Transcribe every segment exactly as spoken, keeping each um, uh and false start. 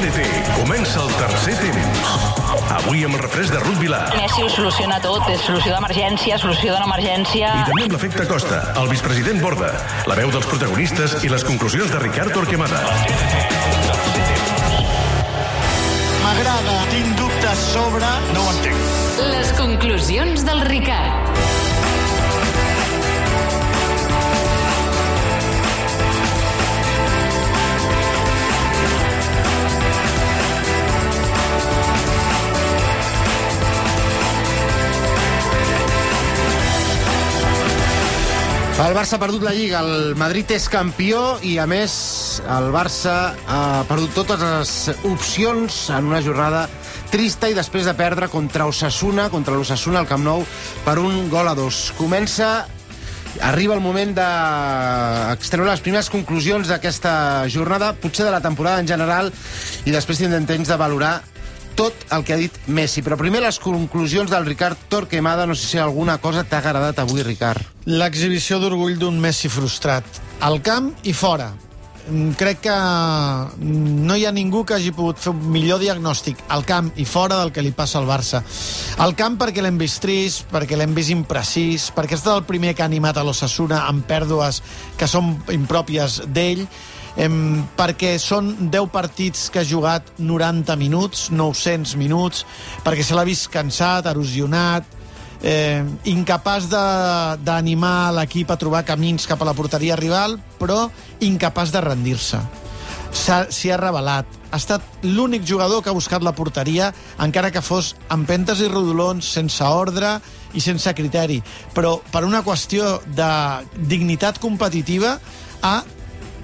T T comença el tercer temps. Avui amb el refresc de Ruth Vilà. Messi ho soluciona tot, és solució d'emergència, solució de no emergència. I també amb l'efecte Costa, el vicepresident Borda, la veu dels protagonistes i les conclusions de Ricard Torquemada. M'agrada, tinc dubtes sobre... No ho entenc. Les conclusions del Ricard. El Barça ha perdut la Lliga, el Madrid és campió i, a més, el Barça ha perdut totes les opcions en una jornada trista i després de perdre contra Osasuna, contra l'Osasuna al Camp Nou, per un gol a dos. Comença, arriba el moment d'extreure les primeres conclusions d'aquesta jornada, potser de la temporada en general, i després tindrem temps de valorar tot el que ha dit Messi. Però primer les conclusions del Ricard Torquemada. No sé si alguna cosa t'ha agradat avui, Ricard. L'exhibició d'orgull d'un Messi frustrat. Al camp i fora. Crec que no hi ha ningú que hagi pogut fer un millor diagnòstic al camp i fora del que li passa al Barça. Al camp perquè l'hem vist trist, perquè l'hem vist imprecís, perquè és el primer que ha animat a l'Osasuna amb pèrdues que són impròpies d'ell, Em, perquè són deu partits que ha jugat noranta minuts, nou-cents minuts, perquè se l'ha vist cansat, erosionat, eh, incapaç d'animar l'equip a trobar camins cap a la porteria rival, però incapaç de rendir-se. S'hi ha revelat. Ha estat l'únic jugador que ha buscat la porteria, encara que fos amb pentes i rodolons, sense ordre i sense criteri. Però per una qüestió de dignitat competitiva ha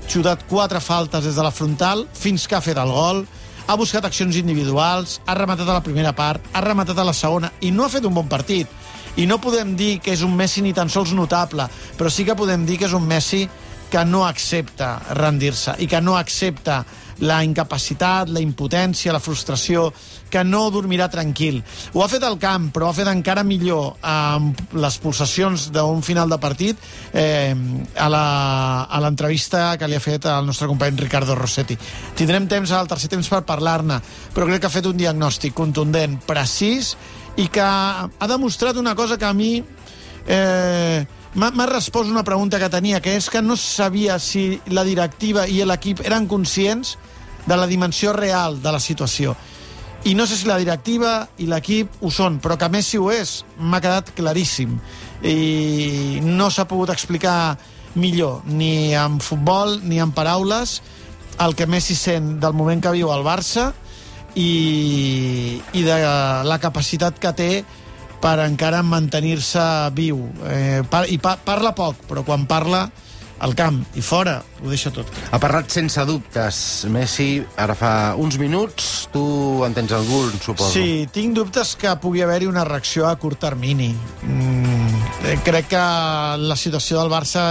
xutat quatre faltes des de la frontal fins que ha fet el gol, ha buscat accions individuals, ha rematat a la primera part, ha rematat a la segona i no ha fet un bon partit. I no podem dir que és un Messi ni tan sols notable, però sí que podem dir que és un Messi que no accepta rendir-se i que no accepta la incapacitat, la impotència, la frustració, que no dormirà tranquil. Ho ha fet al camp, però ho ha fet encara millor amb les pulsacions d'un final de partit eh, a l'entrevista que li ha fet el nostre company Ricardo Rossetti. Tindrem temps al tercer temps per parlar-ne, però crec que ha fet un diagnòstic contundent, precís, i que ha demostrat una cosa que a mi... Eh, M'ha respost una pregunta que tenia, que és que no sabia si la directiva i l'equip eren conscients de la dimensió real de la situació. I no sé si la directiva i l'equip ho són, però que Messi ho és, m'ha quedat claríssim. I no s'ha pogut explicar millor, ni en futbol ni en paraules, el que Messi sent del moment que viu al Barça i, i de la capacitat que té per encara mantenir-se viu. Eh, par, I pa, parla poc, però quan parla al camp i fora ho deixa tot. Ha parlat sense dubtes Messi ara fa uns minuts. Tu en tens algun, suposo? Sí, tinc dubtes que pugui haver-hi una reacció a curt termini. Mm, crec que la situació del Barça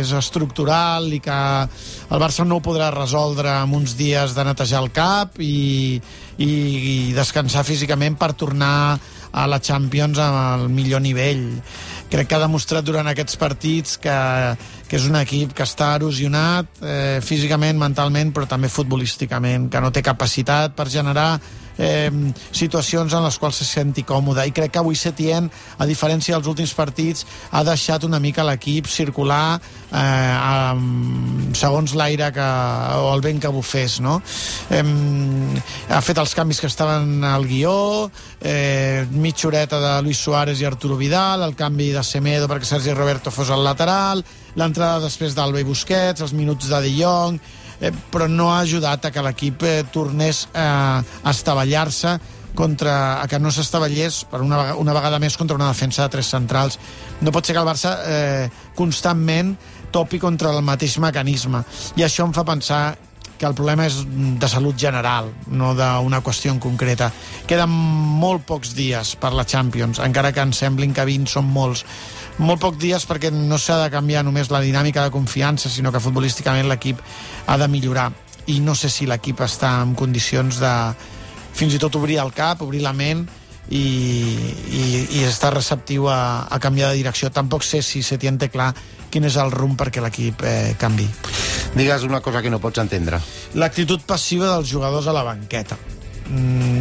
és estructural i que el Barça no ho podrà resoldre en uns dies de netejar el cap i, i, i descansar físicament per tornar a la Champions al millor nivell. Crec que ha demostrat durant aquests partits que, que és un equip que està erosionat eh, físicament, mentalment, però també futbolísticament, que no té capacitat per generar eh, situacions en les quals se senti còmode. I crec que avui Setién, a diferència dels últims partits, ha deixat una mica l'equip circular eh, amb, segons l'aire que, o el vent que bufés, no? Eh, ha fet els canvis que estaven al guió, eh, mitja horeta de Luis Suárez i Arturo Vidal, el canvi de Semedo perquè Sergi Roberto fos al lateral, l'entrada després d'Alba i Busquets, els minuts de De Jong, eh, però no ha ajudat a que l'equip eh, tornés eh, a estavellar-se contra, a que no s'estavellés per una, vegada, una vegada més contra una defensa de tres centrals. No pot ser que el Barça eh, constantment topi contra el mateix mecanisme, i això em fa pensar que el problema és de salut general, no d'una qüestió en concreta. Queden molt pocs dies per la Champions, encara que ens semblin que vint són molts. Molt pocs dies perquè no s'ha de canviar només la dinàmica de confiança, sinó que futbolísticament l'equip ha de millorar. I no sé si l'equip està en condicions de fins i tot obrir el cap, obrir la ment i, i, i estar receptiu a, a canviar de direcció. Tampoc sé si Setién té clar quin és el rumb perquè l'equip eh, canvi. digues una cosa que no pots entendre. L'actitud passiva dels jugadors a la banqueta.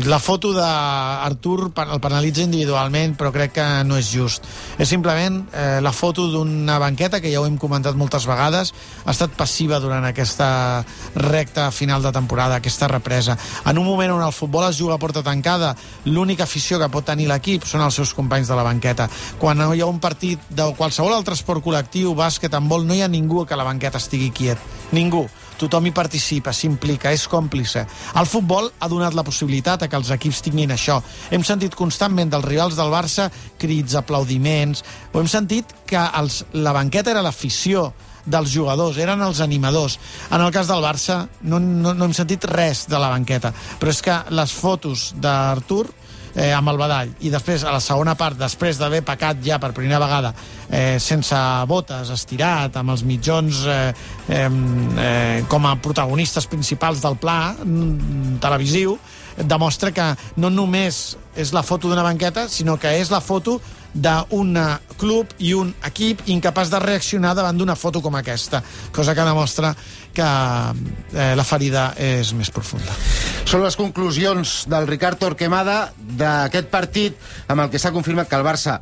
La foto d'Artur el penalitza individualment, però crec que no és just. És simplement eh, la foto d'una banqueta que ja ho hem comentat moltes vegades, ha estat passiva durant aquesta recta final de temporada, aquesta represa. En un moment on el futbol es juga a porta tancada, l'única afició que pot tenir l'equip són els seus companys de la banqueta. Quan hi ha un partit de qualsevol altre esport col·lectiu, bàsquet, handbol, no hi ha ningú que la banqueta estigui quiet. Ningú. Tothom hi participa, s'implica, és còmplice. El futbol ha donat la possibilitat a que els equips tinguin això. Hem sentit constantment dels rivals del Barça crits, aplaudiments, o hem sentit que els, la banqueta era l'afició dels jugadors, eren els animadors. En el cas del Barça no, no, no hem sentit res de la banqueta, però és que les fotos d'Artur Eh, amb el badall, i després a la segona part, després d'haver pecat ja per primera vegada eh, sense botes, estirat, amb els mitjons eh, eh, eh, com a protagonistes principals del pla mm, televisiu, demostra que no només és la foto d'una banqueta, sinó que és la foto d'un club i un equip incapaç de reaccionar davant d'una foto com aquesta, cosa que demostra que eh, la ferida és més profunda. Són les conclusions del Ricard Torquemada d'aquest partit amb el que s'ha confirmat que el Barça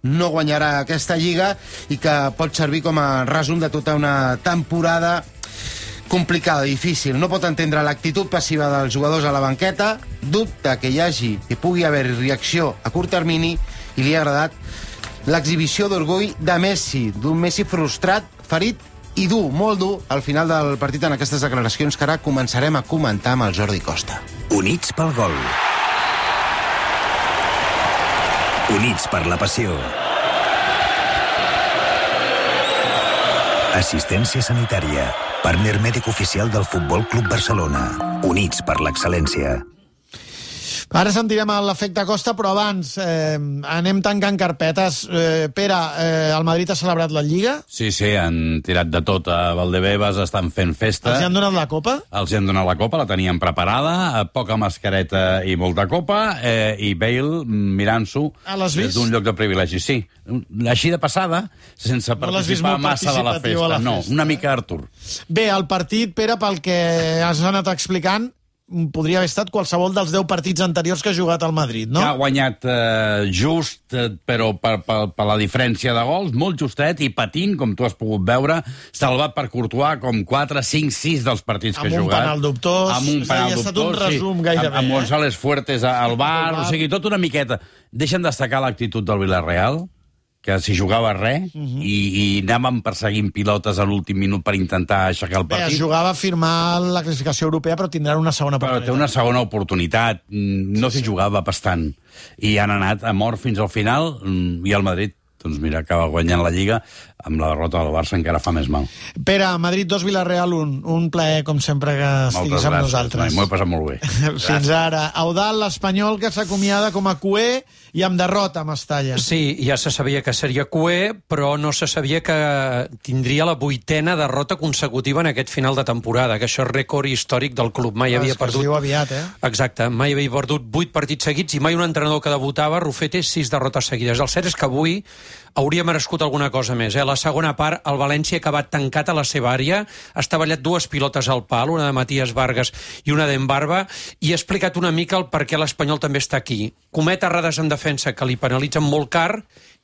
no guanyarà aquesta Lliga i que pot servir com a resum de tota una temporada complicada, difícil. No pot entendre l'actitud passiva dels jugadors a la banqueta, dubta que hi hagi, que pugui haver reacció a curt termini, i li ha agradat l'exhibició d'orgull de Messi, d'un Messi frustrat, ferit i dur, molt dur, al final del partit en aquestes declaracions que ara començarem a comentar amb el Jordi Costa. Units pel gol. Units per la passió. Assistència sanitària. Partner mèdic oficial del Futbol Club Barcelona. Units per l'excel·lència. Ara sentirem l'efecte Costa, però abans eh, anem tancant carpetes. Eh, Pere, eh, el Madrid ha celebrat la Lliga? Sí, sí, han tirat de tot a Valdebebas, estan fent festa. Els han donat la Copa? Els han donat la Copa, la tenien preparada, poca mascareta i molta copa, eh, i Bale mirant-s'ho des d'un lloc de privilegi. Sí, així de passada, sense no participar massa de la festa. La festa. No, una mica Artur. Bé, el partit, Pere, pel que has anat explicant, podria haver estat qualsevol dels deu partits anteriors que ha jugat al Madrid, no? Que ha guanyat eh, just, eh, però per, per, per la diferència de gols, molt justet, i patint, com tu has pogut veure, salvat per Courtois com quatre, cinc, sis dels partits que ha jugat. Amb un penal dubtós. Amb un penal dubtós, ha estat un resum sí, gairebé. Amb, amb González Fuertes al bar, o sigui, tot una miqueta. Deixen destacar l'actitud del Villarreal, que s'hi jugava res, uh-huh. i, i anàvem perseguint pilotes a l'últim minut per intentar aixecar el partit. Bé, es jugava a firmar la classificació europea, però tindran una segona oportunitat. Però té una segona oportunitat. No s'hi jugava bastant. I han anat a mort fins al final, i el Madrid, doncs mira, acaba guanyant la Lliga, amb la derrota del Barça encara fa més mal. Pere, Madrid dos, Villarreal un. Un plaer, com sempre, que estiguis amb nosaltres. M'ho he passat molt bé. Fins ara. Eudald, l'Espanyol, que s'acomiada com a cuer i amb derrota a Mestalla. Sí, ja se sabia que seria cuer, però no se sabia que tindria la vuitena derrota consecutiva en aquest final de temporada, que això és rècord històric del club. Mai ah, havia perdut... Es diu aviat, eh? Exacte, mai havia perdut vuit partits seguits i mai un entrenador que debutava, Rufete, sis derrotes seguides. El cert és que avui hauria merescut alguna cosa més. Eh? La segona part, el València ha acabat tancat a la seva àrea, ha estavellat dues pilotes al pal, una de Matías Vargas i una d'Embarba, i ha explicat una mica el per què l'Espanyol també està aquí. Comet errades en defensa que li penalitzen molt car,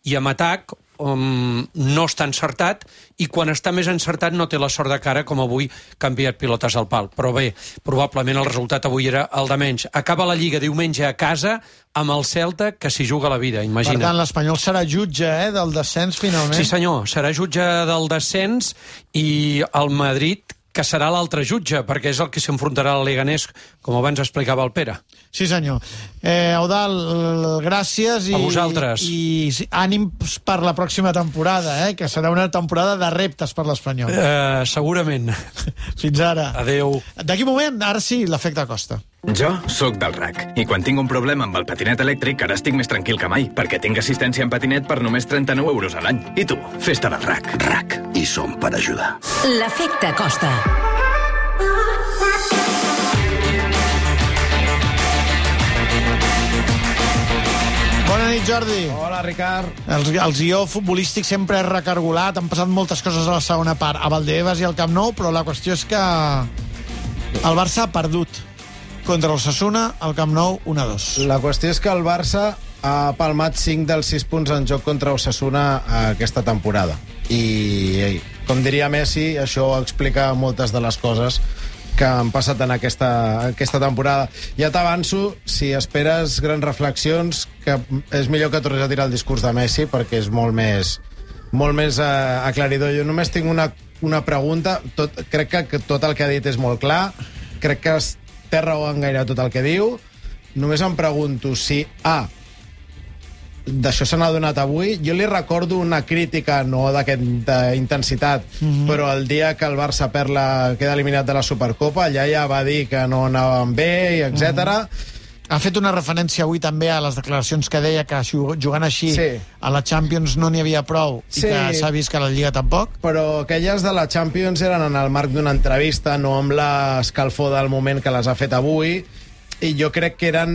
i amb atac um, no està encertat, i quan està més encertat no té la sort de cara, com avui que ha enviat pilotes al pal. Però bé, probablement el resultat avui era el de menys. Acaba la Lliga diumenge a casa amb el Celta, que s'hi juga la vida, imagina. Per tant, l'Espanyol serà jutge eh, del descens, finalment. Sí, senyor, serà jutge del descens, i el Madrid, que serà l'altre jutge, perquè és el que s'enfrontarà al Leganés, com abans explicava el Pere. Sí, senyor. Eh, Eudald, gràcies. I, a vosaltres. I, i ànims per la pròxima temporada, eh, que serà una temporada de reptes per l'Espanyol. Eh, segurament. Fins ara. Adéu. D'aquí un moment, ara sí, l'efecte Costa. Jo sóc del R A C, i quan tinc un problema amb el patinet elèctric ara estic més tranquil que mai, perquè tinc assistència en patinet per només trenta-nou euros a l'any. I tu, festa del R A C. R A C, i som per ajudar. L'efecte Costa. Bona nit, Jordi. Hola, Ricard. El, el guió futbolístic sempre és recargolat, han passat moltes coses a la segona part, a Valdebebas i al Camp Nou, però la qüestió és que el Barça ha perdut contra l'Osasuna, al Camp Nou, un a dos. La qüestió és que el Barça ha palmat cinc dels sis punts en joc contra Osasuna aquesta temporada. I, com diria Messi, això explica moltes de les coses que han passat en aquesta, aquesta temporada. Ja t'avanço, si esperes grans reflexions, que és millor que tornis a tirar el discurs de Messi, perquè és molt més, molt més uh, aclaridor. Jo només tinc una, una pregunta. Tot, crec que, que tot el que ha dit és molt clar. Crec que té raó en gairebé tot el que diu. Només em pregunto si A, d'això se n'ha donat avui. Jo li recordo una crítica, no d'aquesta intensitat, mm-hmm. però el dia que el Barça perd la, queda eliminat de la Supercopa, allà ja va dir que no anaven bé, etcètera. Mm-hmm. Ha fet una referència avui també a les declaracions que deia que jugant així sí. a la Champions no n'hi havia prou i sí. que s'ha vist que a la Lliga tampoc. Però aquelles de la Champions eren en el marc d'una entrevista, no amb l'escalfor del moment que les ha fet avui, i jo crec que eren,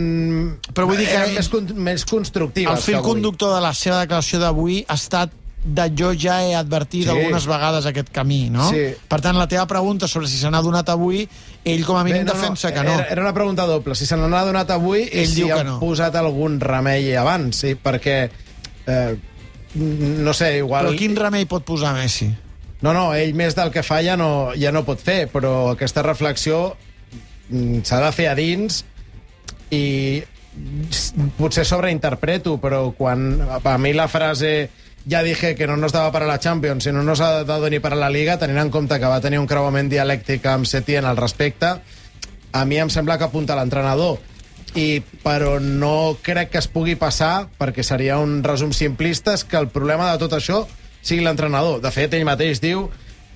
però vull dir que eren més, més constructives. El fil conductor de la seva declaració d'avui ha estat de jo ja he advertit sí. algunes vegades aquest camí, no? Sí. Per tant, la teva pregunta sobre si se n'ha donat avui, ell com a mínim Bé, no, defensa no, que no. Era, era una pregunta doble. Si se n'ha donat avui ell i si han no. posat algun remei abans, sí, perquè eh, no sé, igual... Però quin remei pot posar Messi? No, no, ell més del que fa ja no, ja no pot fer, però aquesta reflexió s'ha de fer a dins i potser sobreinterpreto, però quan a mi la frase ja dije que no nos daba para la Champions i no nos ha dado ni para la Liga, tenint en compte que va tenir un creuament dialèctic amb Setién al respecte, a mi em sembla que apunta l'entrenador. I, però no crec que es pugui passar, perquè seria un resum simplista, és que el problema de tot això sigui l'entrenador. De fet, ell mateix diu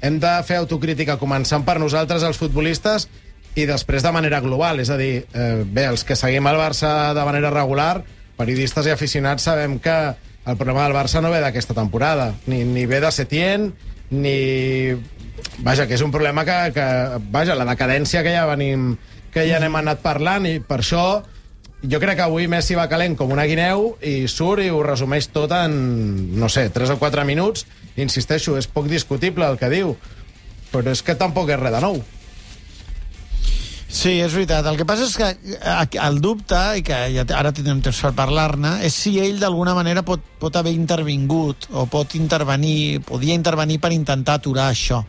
hem de fer autocrítica començant per nosaltres, els futbolistes, i després de manera global, és a dir, eh, bé, els que seguim el Barça de manera regular, periodistes i aficionats, sabem que el problema del Barça no ve d'aquesta temporada, ni, ni ve de Setién, ni... Vaja, que és un problema que, que... Vaja, la decadència que ja venim, que ja n'hem anat parlant, i per això jo crec que avui Messi va calent com una guineu i surt i ho resumeix tot en, no sé, tres o quatre minuts. Insisteixo, és poc discutible el que diu, però és que tampoc és res de nou. Sí, és veritat. El que passa és que el dubte, i que ja ara tindrem temps per parlar-ne, és si ell d'alguna manera pot, pot haver intervingut o pot intervenir, podia intervenir per intentar aturar això.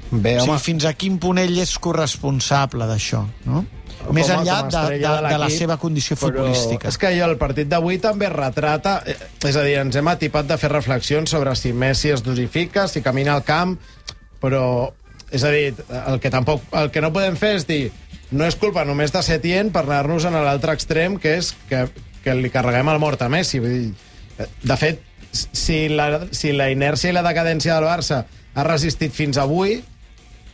Bé, o sigui, fins a quin punt ell és corresponsable d'això, no? Com Més enllà de, de, de, de la seva condició futbolística. És que jo el partit d'avui també retrata, és a dir, ens hem atipat de fer reflexions sobre si Messi es dosifica, si camina al camp, però... És a dir, el que tampoc, el que no podem fer és dir no és culpa només de Setién per anar-nos en l'altre extrem, que és que, que li carreguem el mort a Messi. Vull dir, de fet, si la, si la inèrcia i la decadència del Barça ha resistit fins avui,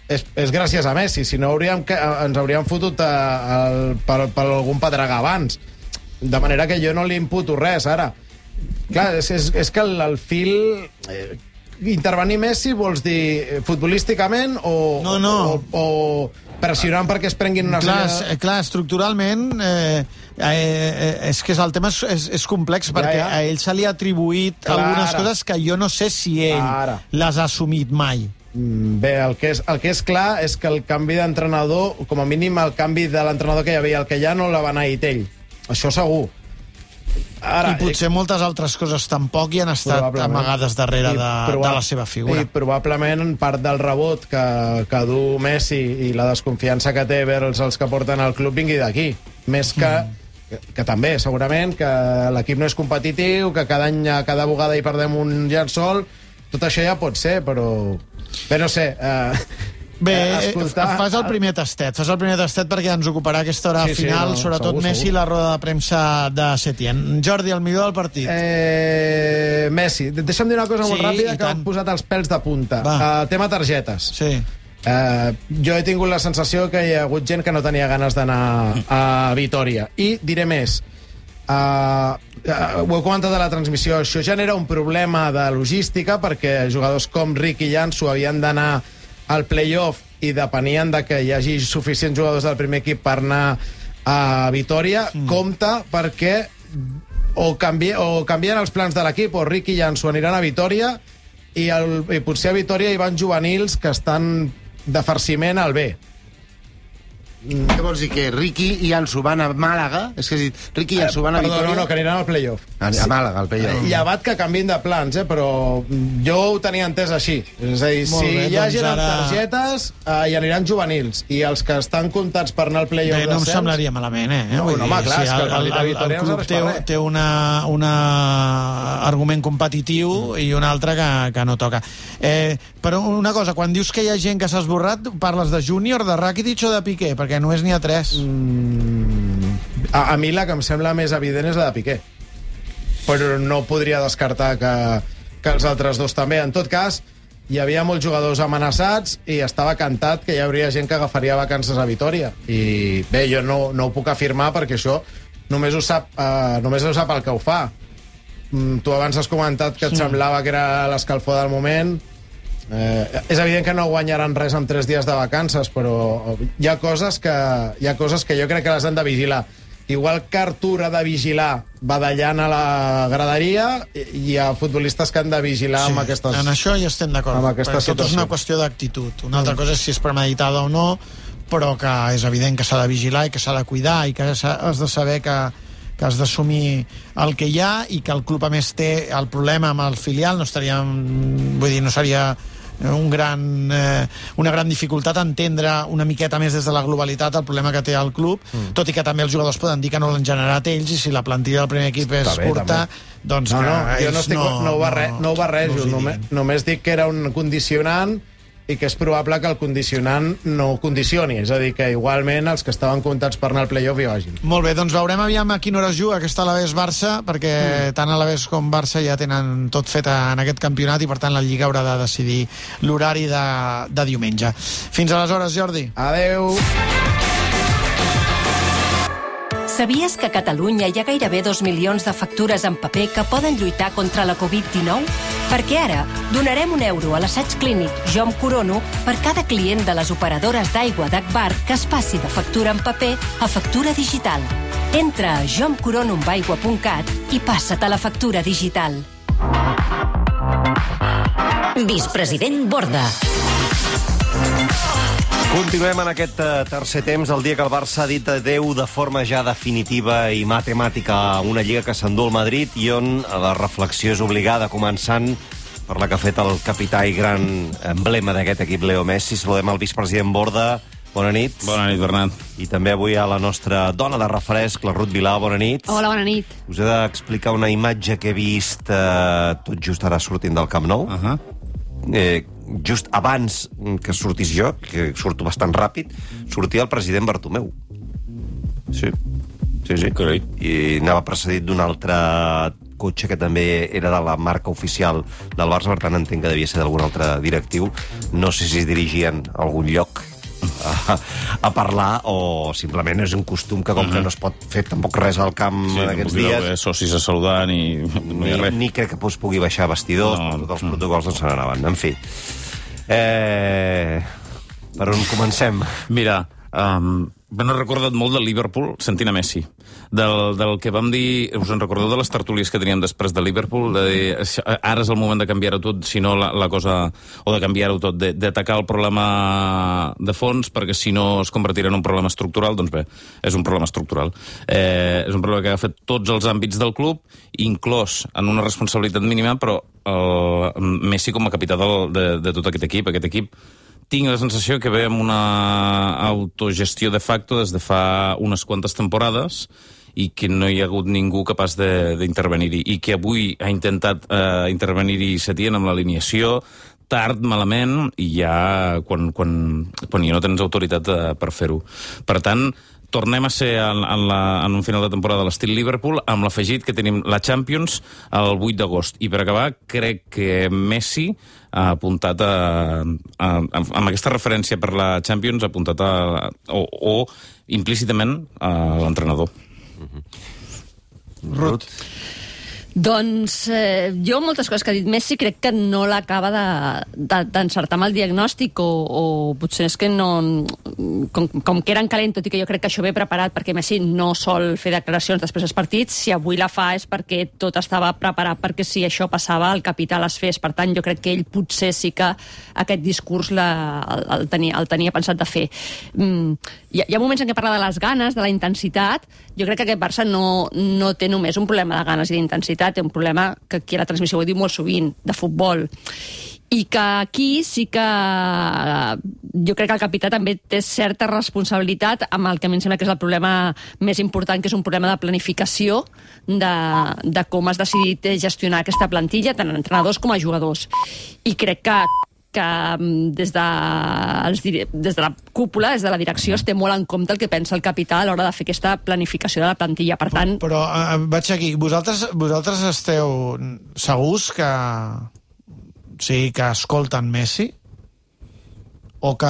és, és gràcies a Messi. Si no, hauríem, ens hauríem fotut a, a, per, per algun pedregà abans. De manera que jo no li imputo res, ara. Clar, és, és, és que el, el fil... Eh, intervenir Messi vols dir futbolísticament o, no, no. o, o pressionant perquè es prenguin una... Clar, sèrie... clar estructuralment eh, eh, és que el tema és, és, és complex perquè ja, ja. a ell se li ha atribuït clar, algunes ara. coses que jo no sé si ell ara. les ha assumit mai. Bé, el que, és, el que és clar és que el canvi d'entrenador, com a mínim el canvi de l'entrenador que hi havia, el que ja no la va anar a ell. Això segur. Ara, I potser moltes altres coses tampoc hi han estat amagades darrere de, de la seva figura. I probablement part del rebot que, que du Messi i la desconfiança que té vers els que porten al club vingui d'aquí. Més que, mm. que, que també, segurament, que l'equip no és competitiu, que cada any, cada vegada hi perdem un llençol, tot això ja pot ser, però... Bé, no sé... Eh, Bé, escoltar... fas el primer tastet, fas el primer tastet perquè ens ocuparà aquesta hora sí, final, sí, no, sobretot segur, Messi, segur. La roda de premsa de Setién. Jordi, el millor del partit. Eh, Messi. Deixa'm dir una cosa sí, molt ràpida que m'han posat els pèls de punta. Uh, tema targetes. Sí. Uh, jo he tingut la sensació que hi ha hagut gent que no tenia ganes d'anar a Vitòria. I diré més. Uh, uh, ho he comentat a la transmissió. Això genera un problema de logística perquè jugadors com Rick i Jansu havien d'anar al play-off i depenien de que hi hagi suficients jugadors del primer equip per anar a Vitòria. Mm. Compte perquè o, canvi, o canvien els plans de l'equip, o Riqui i Jansu aniran a Vitòria, i, el, i potser a Vitòria hi van juvenils que estan de farciment al B. Mm. Què vols dir, que Riqui i Jansu van a Màlaga? És que has dit, Riqui i Jansu van a Perdó, Vitòria... no, no, que aniran al play-off. A, a Màlaga, al play-off. Llevat que canvin de plans, eh, però jo ho tenia entès així. És a dir, Molt si bé, hi ha doncs gent amb ara- targetes, eh, hi aniran juvenils, i els que estan comptats per anar al play-off Bé, no em d'ascens... semblaria malament, eh? No, Vull no, home, dir, clar, és que el el, partit de el, el Vitòria no club serveix té, per res. té una, una argument competitiu i un altre que, que no toca. Eh, però una cosa, quan dius que hi ha gent que s'ha esborrat, parles de Júnior, de Rakitic o de Piqué? Perquè només n'hi ha tres. Mm, a, a mi la que em sembla més evident és la de Piqué. Però no podria descartar que, que els altres dos també. En tot cas, hi havia molts jugadors amenaçats i estava cantat que hi hauria gent que agafaria vacances a Vitòria. I bé, jo no, no ho puc afirmar perquè això només ho sap, eh, només ho sap el que ho fa. Mm, tu abans has comentat que et Sí. semblava que era l'escalfor del moment. Eh, és evident que no guanyaran res amb tres dies de vacances, però hi ha coses que, hi ha coses que jo crec que les han de vigilar. Igual que Artur ha de vigilar badallant a la graderia, hi ha futbolistes que han de vigilar Sí, amb aquestes... en això hi estem d'acord. amb aquesta Tot és situació. una qüestió d'actitud. Una altra cosa és si és premeditada o no, però que és evident que s'ha de vigilar i que s'ha de cuidar i que s'ha- has de saber que, que has d'assumir el que hi ha i que el club a més té el problema amb el filial, no estaria, vull dir, no seria un gran, eh, una gran dificultat entendre una miqueta més des de la globalitat el problema que té el club, mm. tot i que també els jugadors poden dir que no l'han generat ells i si la plantilla del primer equip és Està bé, curta, també. doncs No, que no, jo no, ells estic, no, no, ho, barre, no ho barrejo, no us hi només, diguin. només dic que era un condicionant i que és probable que el condicionant no condicioni, és a dir, que igualment els que estaven comptats per anar al play-off hi vagin. Molt bé, doncs veurem aviam a quina hora es juga aquesta Alavés Barça, perquè mm. tant Alavés com Barça ja tenen tot fet en aquest campionat i per tant la Lliga haurà de decidir l'horari de, de diumenge. Fins aleshores, Jordi. Adeu. Sabies que a Catalunya hi ha gairebé dos milions de factures en paper que poden lluitar contra la covid dinou? Perquè ara donarem un euro a l'assaig clínic Jo em corono per cada client de les operadores d'aigua d'Agbar que es passi de factura en paper a factura digital. Entra a jo em corono amb aigua punt cat i passa't a la factura digital. Vicepresident Borda. Continuem en aquest uh, tercer temps, el dia que el Barça ha dit adeu de forma ja definitiva i matemàtica a una lliga que s'endú al Madrid i on la reflexió és obligada, començant per la que ha fet el capità i gran emblema d'aquest equip, Leo Messi. Saludem el vicepresident Borda. Bona nit. Bona nit, Bernat. I també avui a la nostra dona de refresc, la Ruth Vilà. Bona nit. Hola, bona nit. Us he d'explicar una imatge que he vist eh, tot just ara sortint del Camp Nou. Uh -huh. eh, just abans que sortís jo, que surto bastant ràpid, sortia el president Bartomeu. Sí, sí, sí. Carai. I anava precedit d'un altre cotxe que també era de la marca oficial del Barça, per tant entenc que devia ser d'algun altre directiu. No sé si es dirigien a algun lloc a, a parlar o simplement és un costum que com uh -huh. que no es pot fer tampoc res al camp sí, en aquests dies. Sí, socis a saludar ni, no hi ha Ni, res. ni crec que es pugui baixar a vestidors, no, tots els no. protocols no se n'anaven. En fi. Eh, per on comencem? Mira, um, m'he recordat molt del Liverpool sentint a Messi. Del, del que vam dir... Us en recordeu de les tertúlies que teníem després de Liverpool? De dir, ara és el moment de canviar-ho tot, si no la, la cosa... O de canviar-ho tot, d'atacar el problema de fons, perquè si no es convertirà en un problema estructural, doncs bé, és un problema estructural. Eh, és un problema que ha fet tots els àmbits del club, inclòs en una responsabilitat mínima, però el Messi com a capità del, de, de tot aquest equip, aquest equip tinc la sensació que ve amb una autogestió de facto des de fa unes quantes temporades i que no hi ha hagut ningú capaç d'intervenir-hi. I que avui ha intentat eh, intervenir-hi Setién amb l'alineació, tard, malament, i ja quan, quan, quan ja no tens autoritat eh, per fer-ho. Per tant, tornem a ser en, en, la, en un final de temporada a l'estil Liverpool, amb l'afegit que tenim la Champions el vuit d'agost. I per acabar, crec que Messi ha apuntat a, a, a, amb aquesta referència per la Champions, ha apuntat a, o, o implícitament a l'entrenador. Mm-hmm. Ruth? Doncs eh, jo moltes coses que ha dit Messi crec que no l'acaba d'encertar de, de, amb el diagnòstic o, o potser és que no, com, com que eren calent, tot i que jo crec que això ve preparat perquè Messi no sol fer declaracions després dels partits, si avui la fa és perquè tot estava preparat perquè si això passava el capità les fes. Per tant, jo crec que ell potser sí que aquest discurs la, el, el, tenia, el tenia pensat de fer. Mm, hi, ha, hi ha moments en què parla de les ganes, de la intensitat. Jo crec que aquest Barça no, no té només un problema de ganes i d'intensitat, té un problema que aquí a la transmissió ho he dit molt sovint, de futbol. I que aquí sí que jo crec que el capità també té certa responsabilitat amb el que a mi em sembla que és el problema més important, que és un problema de planificació de, de com has decidit gestionar aquesta plantilla, tant entrenadors com a jugadors. I crec que que des de, els, des de la cúpula, des de la direcció, es té molt en compte el que pensa el capità a l'hora de fer aquesta planificació de la plantilla. Per tant... Però, però vaig aquí. Vosaltres, vosaltres esteu segurs que... Sí, que escolten Messi o que,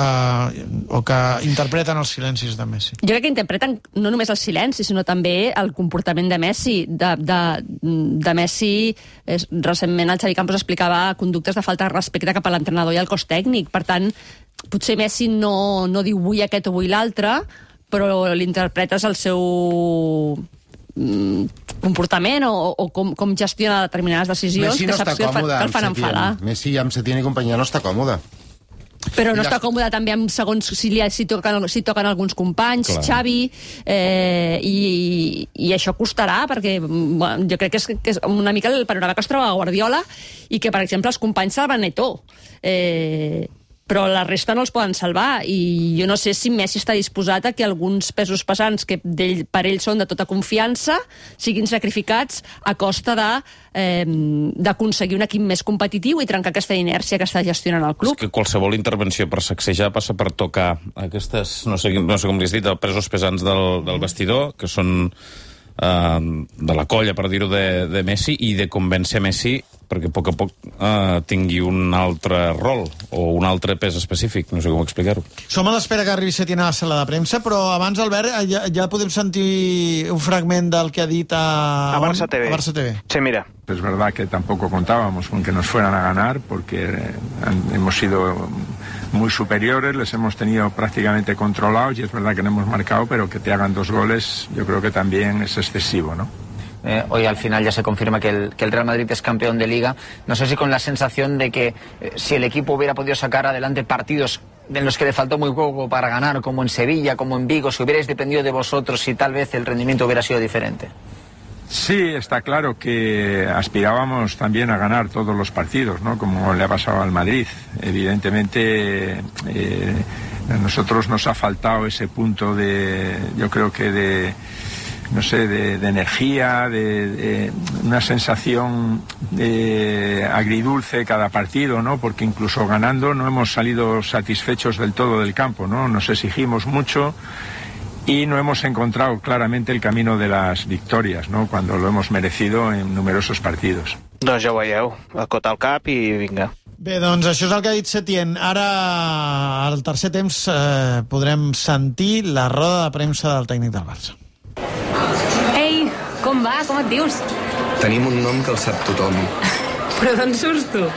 o que interpreten els silencis de Messi? Jo crec que interpreten no només el silenci, sinó també el comportament de Messi. De, de, de Messi, és, recentment el Xavi Campos explicava conductes de falta de respecte cap a l'entrenador i al cos tècnic. Per tant, potser Messi no, no diu vull aquest o vull l'altre, però l'interpretes el seu comportament o, o com, com gestiona determinades decisions. Messi no que saps està còmode, que el fan enfadar. Messi amb Setién i companyia no està còmode. Però no està còmode també amb segons si, li, si, toquen, si toquen alguns companys, clar. Xavi, eh, i, i això costarà, perquè bueno, jo crec que és, que és una mica el panorama que es troba a Guardiola i que, per exemple, els companys salven Eto'o. Eh, però la resta no els poden salvar, i jo no sé si Messi està disposat a que alguns pesos pesants que ell, per ell són de tota confiança siguin sacrificats a costa de eh, d'aconseguir un equip més competitiu i trencar aquesta inèrcia que està gestionant el club. És que qualsevol intervenció per sacsejar passa per tocar aquestes, no sé, no sé com li has dit, els pesos pesants del, del vestidor, que són eh, de la colla, per dir-ho, de, de Messi, i de convèncer Messi perquè a poc a poc eh, tingui un altre rol o un altre pes específic, no sé com explicar-ho. Som a l'espera que arribi Setién a la sala de premsa, però abans, Albert, ja, ja podem sentir un fragment del que ha dit a, a Barça T V. A Barça T V. Sí, mira. Es verdad que tampoco contábamos con que nos fueran a ganar porque hemos sido muy superiores, les hemos tenido prácticamente controlados y es verdad que no hemos marcado, pero que te hagan dos goles yo creo que también es excesivo, ¿no? Eh, hoy al final ya se confirma que el, que el Real Madrid es campeón de Liga. No sé si con la sensación de que eh, si el equipo hubiera podido sacar adelante partidos en los que le faltó muy poco para ganar, como en Sevilla, como en Vigo, si hubierais dependido de vosotros, si tal vez el rendimiento hubiera sido diferente. Sí, está claro que aspirábamos también a ganar todos los partidos, ¿no? Como le ha pasado al Madrid. Evidentemente, eh, a nosotros nos ha faltado ese punto de, yo creo que de... no sé, de, de energía, de, de una sensación de agridulce cada partido, ¿no? Porque incluso ganando no hemos salido satisfechos del todo del campo, ¿no? Nos exigimos mucho y no hemos encontrado claramente el camino de las victorias, ¿no? Cuando lo hemos merecido en numerosos partidos. Doncs ja ho veieu, acota el cap i vinga. Bé, doncs això és el que ha dit Setién. Ara, al tercer temps, eh, podrem sentir la roda de premsa del tècnic del Barça. Ei, com va? Com et dius? Tenim un nom que el sap tothom. Però d'on surts tu?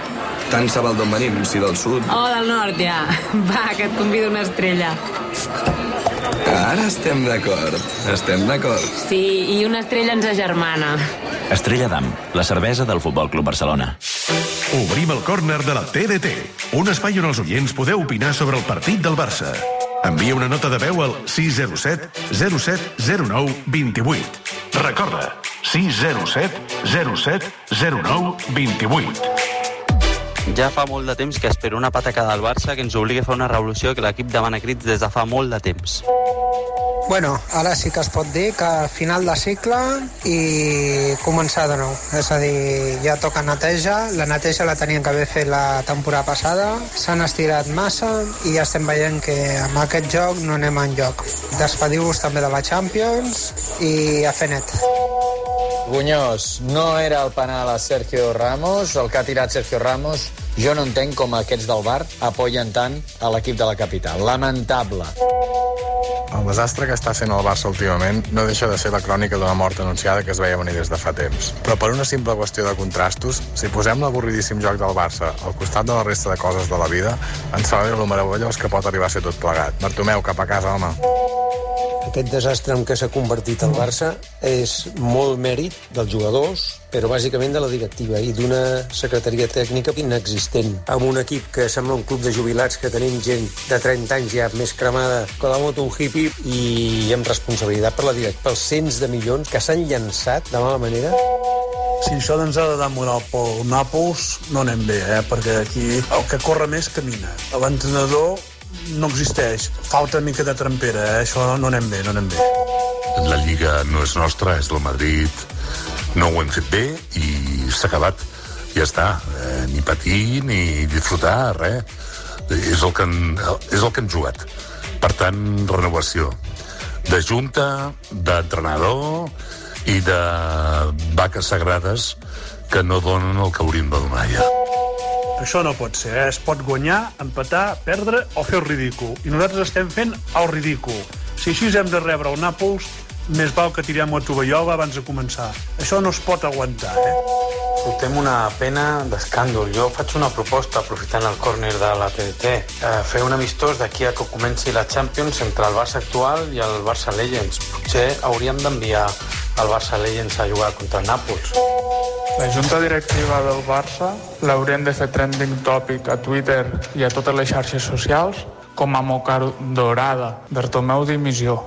Tant se val d'on venim, si del sud. Oh, del nord, ja. Va, que et convido una estrella. Ara estem d'acord. Estem d'acord. Sí, i una estrella ens agermana. Estrella d'Am, la cervesa del Futbol Club Barcelona. Obrim el córner de la T D T, un espai on els oients podeu opinar sobre el partit del Barça. Envia una nota de veu al sis zero set zero set zero nou dos vuit. Recorda, sis zero set zero set zero nou dos vuit. Ja fa molt de temps que espero una patacada al Barça que ens obligui a fer una revolució que l'equip demana crits des de fa molt de temps. Bueno, ara sí que es pot dir que final de cicle i començar de nou. És a dir, ja toca neteja. La neteja la tenien que haver fet la temporada passada. S'han estirat massa i ja estem veient que amb aquest joc no anem enlloc. Despediu-vos també de la Champions i a fer net. Buñós, no era el penal a Sergio Ramos, el que ha tirat Sergio Ramos. Jo no entenc com aquests del Bar apoyen tant a l'equip de la capital. Lamentable. El desastre que està fent el Barça últimament no deixa de ser la crònica d'una mort anunciada que es veia venir des de fa temps. Però per una simple qüestió de contrastos, si posem l'avorridíssim joc del Barça al costat de la resta de coses de la vida, ens fa veure lo meravellós que pot arribar a ser tot plegat. Bartomeu, cap a casa, home. Aquest desastre en què s'ha convertit el Barça és molt mèrit dels jugadors, però bàsicament de la directiva i d'una secretaria tècnica inexistent. Amb un equip que sembla un club de jubilats que tenim gent de trenta anys ja més cremada que la moto un hippie i amb responsabilitat per la directiva, pels cents de milions que s'han llançat de mala manera. Si això ens ha de dar moral pel Nàpols, no anem bé, eh? Perquè aquí el que corre més camina. L'entrenador no existeix. Falta una mica de trempera, eh? Això no anem bé, no anem bé. La Lliga no és nostra, és del Madrid. No ho hem fet bé i s'ha acabat. Ja està. Eh, ni patir, ni disfrutar, res. És el que, en, és el que hem jugat. Per tant, renovació. De junta, d'entrenador i de vaques sagrades que no donen el que haurien de donar ja. Això no pot ser, eh? Es pot guanyar, empatar, perdre o fer el ridícul. I nosaltres estem fent el ridícul. Si així hem de rebre el Nàpols, més val que tirem la tovallola abans de començar. Això no es pot aguantar, eh? Portem una pena d'escàndol. Jo faig una proposta, aprofitant el córner de la T D T, eh, fer un amistós d'aquí a que comenci la Champions entre el Barça actual i el Barça Legends. Potser hauríem d'enviar el Barça Legends a jugar contra el Nàpols. La junta directiva del Barça l'haurem de fer trending topic a Twitter i a totes les xarxes socials com a moca dorada. Bartomeu dimissió.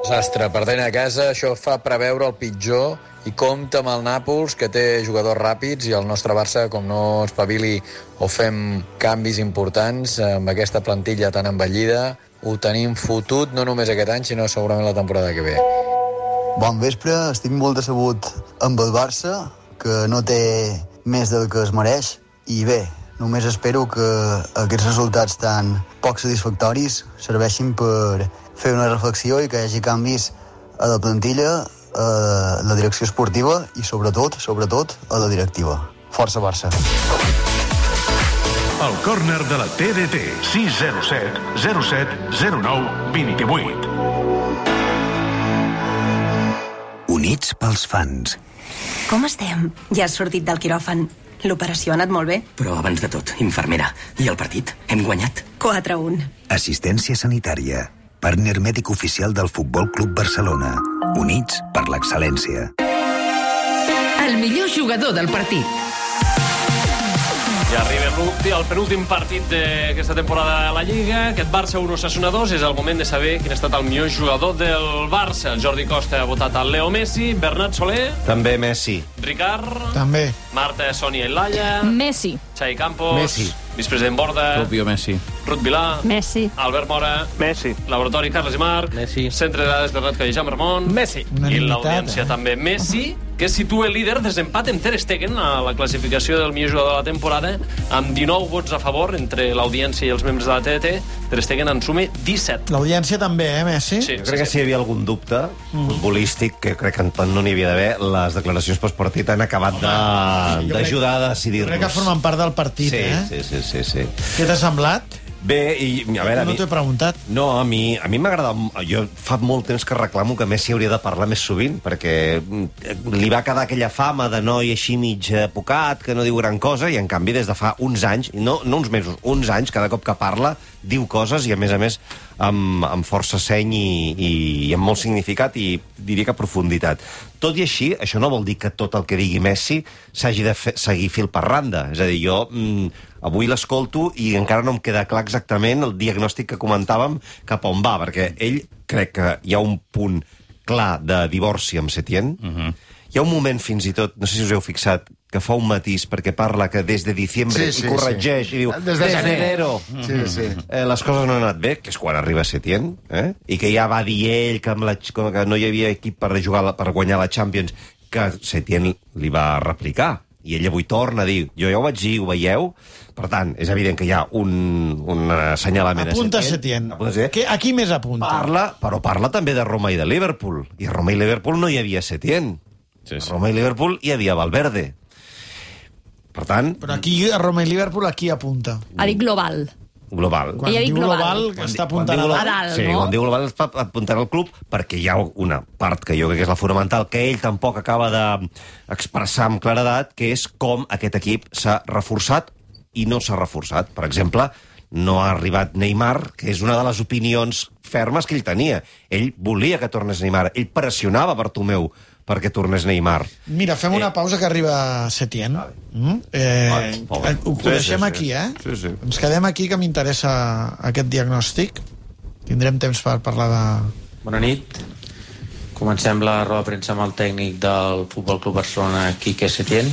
Desastre, perdent a casa, això fa preveure el pitjor i compta amb el Nàpols, que té jugadors ràpids, i el nostre Barça, com no espavili o fem canvis importants amb aquesta plantilla tan envellida, ho tenim fotut no només aquest any, sinó segurament la temporada que ve. Bon vespre, estic molt decebut amb el Barça, que no té més del que es mereix, i bé, només espero que aquests resultats tan poc satisfactoris serveixin per fer una reflexió i que hi hagi canvis a la plantilla, a la direcció esportiva i sobretot, sobretot, a la directiva. Força Barça. El córner de la T D T, sis zero set zero set zero nou dos vuit. Units pels fans. Com estem? Ja has sortit del quiròfan. L'operació ha anat molt bé. Però abans de tot, infermera, i el partit? Hem guanyat? quatre a un. Assistència sanitària. Partner mèdic oficial del Futbol Club Barcelona. Units per l'excel·lència. El millor jugador del partit. Ja arriba el penúltim partit d'aquesta temporada a la Lliga. Aquest Barça un Osasuna dos. És el moment de saber quin ha estat el millor jugador del Barça. El Jordi Costa ha votat el Leo Messi. Bernat Soler. També Messi. Ricard. També. Marta, Sònia i Laia. Messi. Xavi Campos. Messi. Vicepresident Borda. Rubio Messi. Ruth Vilà. Messi. Albert Mora. Messi. Laboratori Carles i Marc. Messi. Centre de dades de Red Jaume Ramon. Messi. I l'audiència eh? també Messi, que situa el líder desempat amb Ter Stegen a la classificació del millor jugador de la temporada, amb dinou vots a favor entre l'audiència i els membres de la T D T. Ter Stegen en sume disset. L'audiència també, eh, Messi? Sí, crec que si hi havia algun dubte mm. futbolístic, que crec que no n'hi havia d'haver, les declaracions postpartit han acabat d'ajudar a decidir-nos. Crec que formen part del partit, sí, eh? Sí, sí, sí, sí. Què t'ha semblat? Bé, i a veure... No t'ho he preguntat. No, a mi a mi m'agrada... Jo fa molt temps que reclamo que Messi hauria de parlar més sovint, perquè li va quedar aquella fama de noi així mig apocat, que no diu gran cosa, i en canvi des de fa uns anys, no, no uns mesos, uns anys, cada cop que parla, diu coses, i a més a més amb, amb força seny i, i, i amb molt significat i diria que profunditat. Tot i així, això no vol dir que tot el que digui Messi s'hagi de fe, seguir fil per randa. És a dir, jo mm, avui l'escolto i encara no em queda clar exactament el diagnòstic que comentàvem cap a on va, perquè ell crec que hi ha un punt clar de divorci amb Setién. Uh-huh. Hi ha un moment fins i tot, no sé si us heu fixat, que fa un matís perquè parla que des de diciembre sí, sí, i corregeix sí. i diu des de enero sí, sí. Eh, les coses no han anat bé, que és quan arriba Setién, eh? I que ja va dir ell que, amb la, que no hi havia equip per, jugar, per guanyar la Champions, que Setién li va replicar. I ell avui torna a dir, jo ja ho vaig dir, ho veieu? Per tant, és evident que hi ha un, un assenyalament apunta a Setién. Apunta Setién. Que, a qui més apunta? Parla, però parla també de Roma i de Liverpool. I a Roma i Liverpool no hi havia Setién. Sí, sí. A Roma i Liverpool hi havia Valverde. Per tant... Però aquí, a Roma i Liverpool, aquí apunta. Ha dit global. global. Quan diu global, global està apuntant a dalt, sí, no? Quan diu global està apuntant al club, perquè hi ha una part que jo crec que és la fonamental, que ell tampoc acaba d'expressar amb claredat, que és com aquest equip s'ha reforçat i no s'ha reforçat. Per exemple, no ha arribat Neymar, que és una de les opinions fermes que ell tenia. Ell volia que tornés Neymar, ell pressionava Bartomeu perquè tornés Neymar. Mira, fem una pausa que arriba Setién. Mm? Eh, Vale, eh, ho sí, deixem sí, sí. aquí, eh? Sí, sí. Ens quedem aquí, que m'interessa aquest diagnòstic. Tindrem temps per parlar de... Bona nit. Comencem la roda de premsa amb el tècnic del Futbol Club Barcelona, Quique Setién.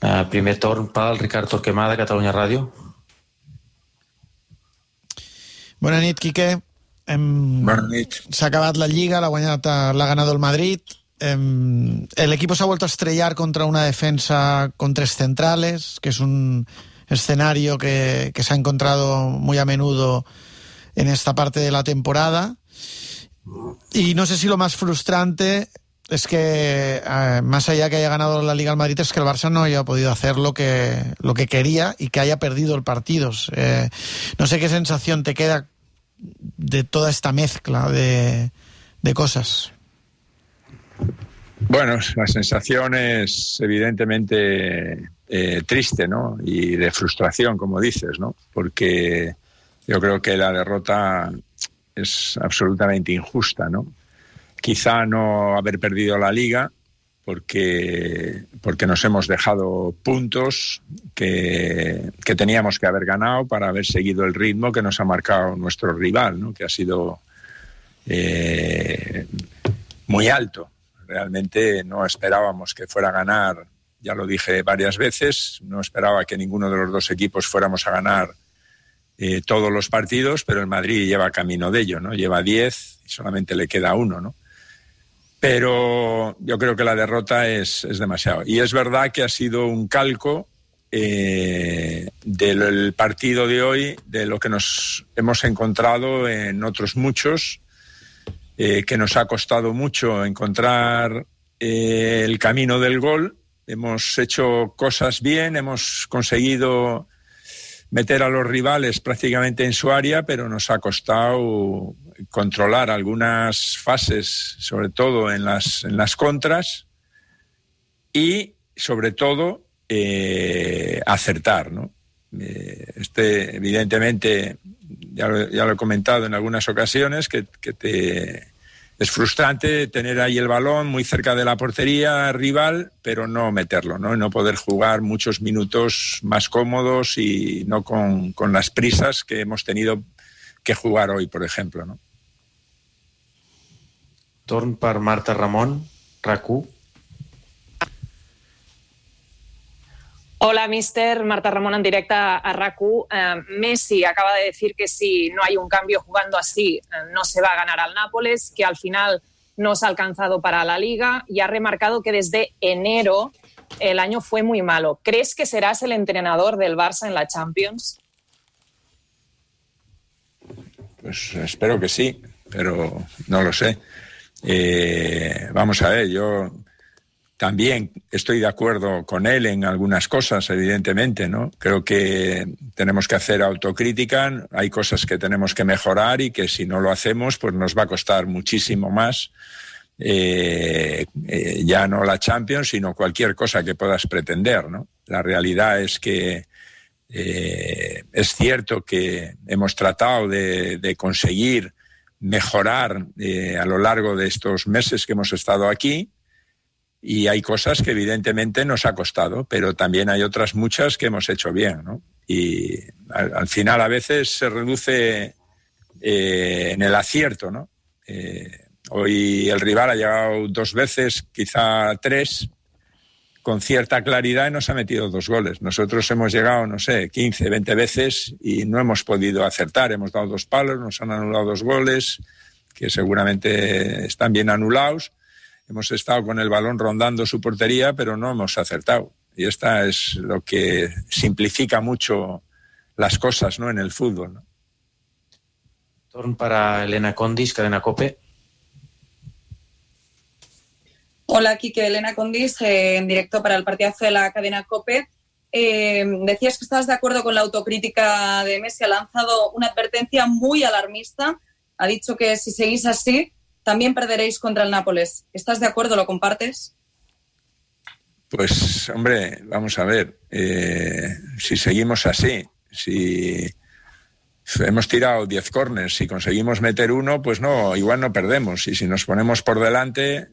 Uh, primer torn pel Ricard Torquemada, Catalunya Ràdio. Bona nit, Quique. Hem... Bona nit. S'ha acabat la Lliga, l'ha guanyat, l'ha ganado el Madrid. Em, el equipo se ha vuelto a estrellar contra una defensa con tres centrales, que es un escenario que, que se ha encontrado muy a menudo en esta parte de la temporada. Y no sé si lo más frustrante es que, eh, más allá que haya ganado la Liga al Madrid, es que el Barça no haya podido hacer lo que, lo que quería y que haya perdido el partido. Eh, no sé qué sensación te queda de toda esta mezcla de, de cosas. Bueno, la sensación es evidentemente eh, triste, ¿no? Y de frustración, como dices, ¿no? Porque yo creo que la derrota es absolutamente injusta, ¿no? Quizá no haber perdido la Liga porque, porque nos hemos dejado puntos que, que teníamos que haber ganado para haber seguido el ritmo que nos ha marcado nuestro rival, ¿no? Que ha sido eh, muy alto. Realmente no esperábamos que fuera a ganar, ya lo dije varias veces, no esperaba que ninguno de los dos equipos fuéramos a ganar eh, todos los partidos, pero el Madrid lleva camino de ello, ¿no? Lleva diez y solamente le queda uno, ¿no? Pero yo creo que la derrota es, es demasiado. Y es verdad que ha sido un calco eh, del partido de hoy, de lo que nos hemos encontrado en otros muchos, eh, que nos ha costado mucho encontrar eh, el camino del gol. Hemos hecho cosas bien, hemos conseguido meter a los rivales prácticamente en su área, pero nos ha costado controlar algunas fases, sobre todo en las, en las contras, y sobre todo eh, acertar, ¿no? Eh, este, evidentemente, ya lo, ya lo he comentado en algunas ocasiones, que, que te, es frustrante tener ahí el balón muy cerca de la portería rival, pero no meterlo, ¿no? Y no poder jugar muchos minutos más cómodos y no con, con las prisas que hemos tenido que jugar hoy, por ejemplo, ¿no? Torn per Marta Ramon, R A C U. Hola, mister. Marta Ramón en directo a R A C U. Eh, Messi acaba de decir que si no hay un cambio jugando así, eh, no se va a ganar al Nápoles, que al final no se ha alcanzado para la Liga y ha remarcado que desde enero el año fue muy malo. ¿Crees que serás el entrenador del Barça en la Champions? Pues espero que sí, pero no lo sé. Eh, vamos a ver, yo también estoy de acuerdo con él en algunas cosas, evidentemente, ¿no? Creo que tenemos que hacer autocrítica, hay cosas que tenemos que mejorar y que si no lo hacemos, pues nos va a costar muchísimo más, eh, eh, ya no la Champions, sino cualquier cosa que puedas pretender, ¿no? La realidad es que eh, es cierto que hemos tratado de, de conseguir mejorar eh, a lo largo de estos meses que hemos estado aquí, y hay cosas que evidentemente nos ha costado, pero también hay otras muchas que hemos hecho bien, ¿no? Y al, al final a veces se reduce eh, en el acierto, ¿no? Eh, hoy el rival ha llegado dos veces, quizá tres, con cierta claridad y nos ha metido dos goles. Nosotros hemos llegado, no sé, quince, veinte veces y no hemos podido acertar. Hemos dado dos palos, nos han anulado dos goles, que seguramente están bien anulados. Hemos estado con el balón rondando su portería, pero no hemos acertado. Y esta es lo que simplifica mucho las cosas, ¿no?, en el fútbol, ¿no? Torn para Elena Condis, Cadena COPE. Hola, Quique, Elena Condis, eh, en directo para el partidazo de la Cadena COPE. Eh, decías que estás de acuerdo con la autocrítica de Messi. Ha lanzado una advertencia muy alarmista. Ha dicho que si seguís así, también perderéis contra el Nápoles. ¿Estás de acuerdo? ¿Lo compartes? Pues, hombre, vamos a ver. Eh, si seguimos así, si hemos tirado diez córners, si conseguimos meter uno, pues no, igual no perdemos. Y si nos ponemos por delante,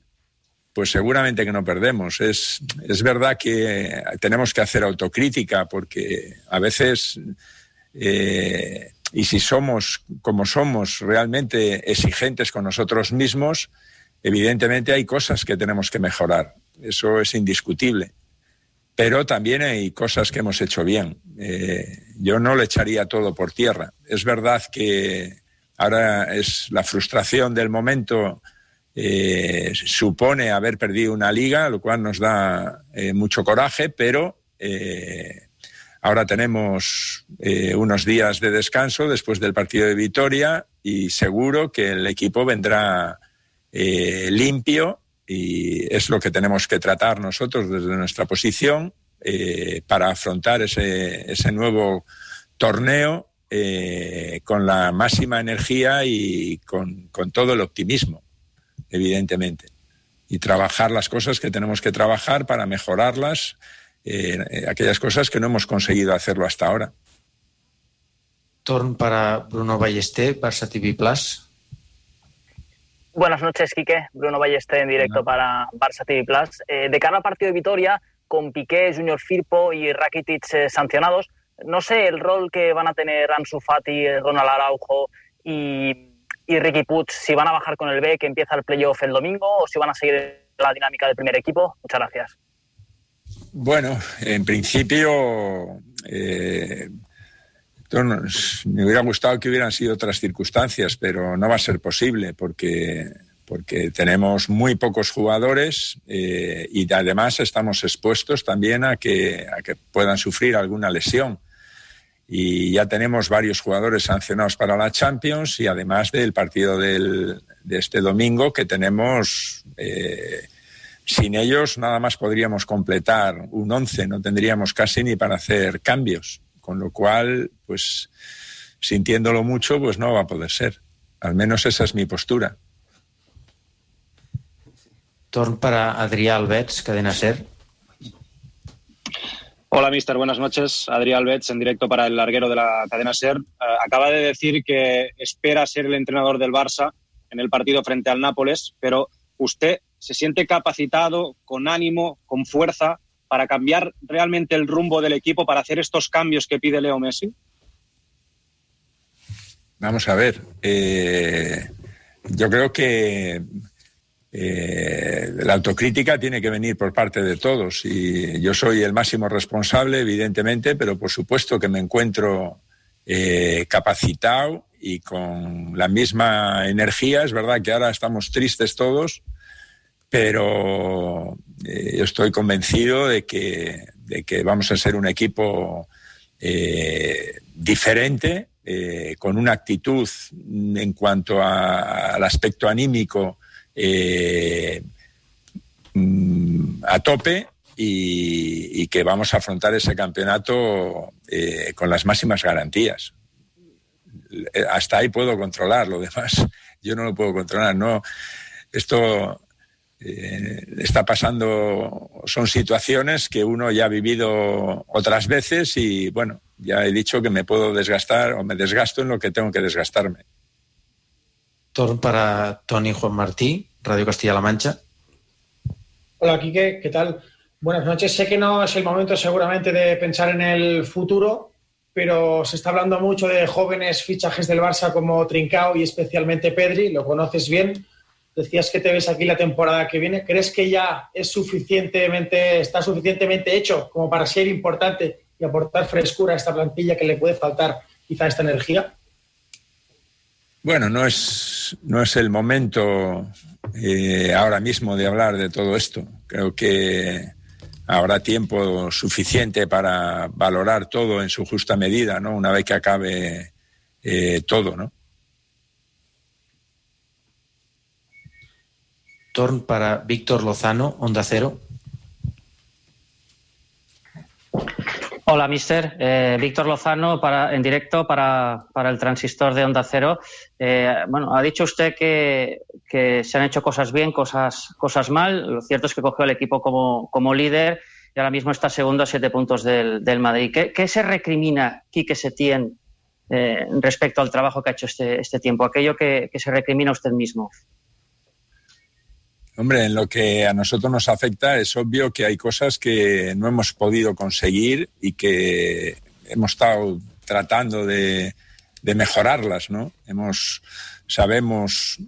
pues seguramente que no perdemos. Es, es verdad que tenemos que hacer autocrítica porque a veces, eh, y si somos como somos realmente exigentes con nosotros mismos, evidentemente hay cosas que tenemos que mejorar. Eso es indiscutible. Pero también hay cosas que hemos hecho bien. Eh, yo no le echaría todo por tierra. Es verdad que ahora es la frustración del momento. Eh, supone haber perdido una liga, lo cual nos da eh, mucho coraje, pero eh, ahora tenemos eh, unos días de descanso después del partido de Vitoria y seguro que el equipo vendrá eh, limpio y es lo que tenemos que tratar nosotros desde nuestra posición eh, para afrontar ese, ese nuevo torneo eh, con la máxima energía y con, con todo el optimismo, evidentemente, y trabajar las cosas que tenemos que trabajar para mejorarlas, eh, aquellas cosas que no hemos conseguido hacerlo hasta ahora. Torn para Bruno Ballester, Barça T V Plus. Buenas noches, Quique. Bruno Ballester en directo no. para Barça T V Plus. Eh, de cara al partido de Vitoria, con Piqué, Junior Firpo y Rakitic eh, sancionados, no sé el rol que van a tener Ansu Fati, Ronald Araujo y... y Riqui Puig, si van a bajar con el B, que empieza el playoff el domingo, o si van a seguir la dinámica del primer equipo. Muchas gracias. Bueno, en principio eh, me hubiera gustado que hubieran sido otras circunstancias, pero no va a ser posible porque, porque tenemos muy pocos jugadores eh, y además estamos expuestos también a que, a que puedan sufrir alguna lesión. Y ya tenemos varios jugadores sancionados para la Champions y además del partido del, de este domingo que tenemos, eh, sin ellos nada más podríamos completar un once, no tendríamos casi ni para hacer cambios, con lo cual, pues sintiéndolo mucho, pues no va a poder ser. Al menos esa es mi postura. Torn para Adrià Albets, Cadena SER. Hola, mister. Buenas noches. Adrià Albets, en directo para el larguero de la cadena SER. Uh, acaba de decir que espera ser el entrenador del Barça en el partido frente al Nápoles, pero ¿usted se siente capacitado, con ánimo, con fuerza, para cambiar realmente el rumbo del equipo, para hacer estos cambios que pide Leo Messi? Vamos a ver. Eh, yo creo que Eh, la autocrítica tiene que venir por parte de todos y yo soy el máximo responsable, evidentemente, pero por supuesto que me encuentro eh, capacitado y con la misma energía. Es verdad que ahora estamos tristes todos, pero eh, yo estoy convencido de que, de que vamos a ser un equipo eh, diferente, eh, con una actitud en cuanto a, al aspecto anímico Eh, a tope y, y que vamos a afrontar ese campeonato eh, con las máximas garantías. Hasta ahí puedo controlar, lo demás yo no lo puedo controlar. No, esto eh, está pasando, son situaciones que uno ya ha vivido otras veces y bueno, ya he dicho que me puedo desgastar o me desgasto en lo que tengo que desgastarme. Torn para Toni Juan Martí, Radio Castilla-La Mancha. Hola, Quique, ¿qué tal? Buenas noches. Sé que no es el momento seguramente de pensar en el futuro, pero se está hablando mucho de jóvenes fichajes del Barça como Trincao y especialmente Pedri, lo conoces bien. Decías que te ves aquí la temporada que viene. ¿Crees que ya es suficientemente, está suficientemente hecho como para ser importante y aportar frescura a esta plantilla que le puede faltar quizá esta energía? Bueno, no es, no es el momento eh, ahora mismo de hablar de todo esto. Creo que habrá tiempo suficiente para valorar todo en su justa medida, ¿no? Una vez que acabe eh, todo, ¿no? Torn para Víctor Lozano, Onda Cero. Hola, mister. Eh, Víctor Lozano, para, en directo para, para el transistor de Onda Cero. Eh, bueno, ha dicho usted que, que se han hecho cosas bien, cosas, cosas mal. Lo cierto es que cogió al equipo como, como líder y ahora mismo está segundo a siete puntos del, del Madrid. ¿Qué, qué se recrimina Quique Setién eh, respecto al trabajo que ha hecho este, este tiempo? Aquello que, que se recrimina usted mismo. Hombre, en lo que a nosotros nos afecta es obvio que hay cosas que no hemos podido conseguir y que hemos estado tratando de, de mejorarlas, ¿no? Hemos, sabemos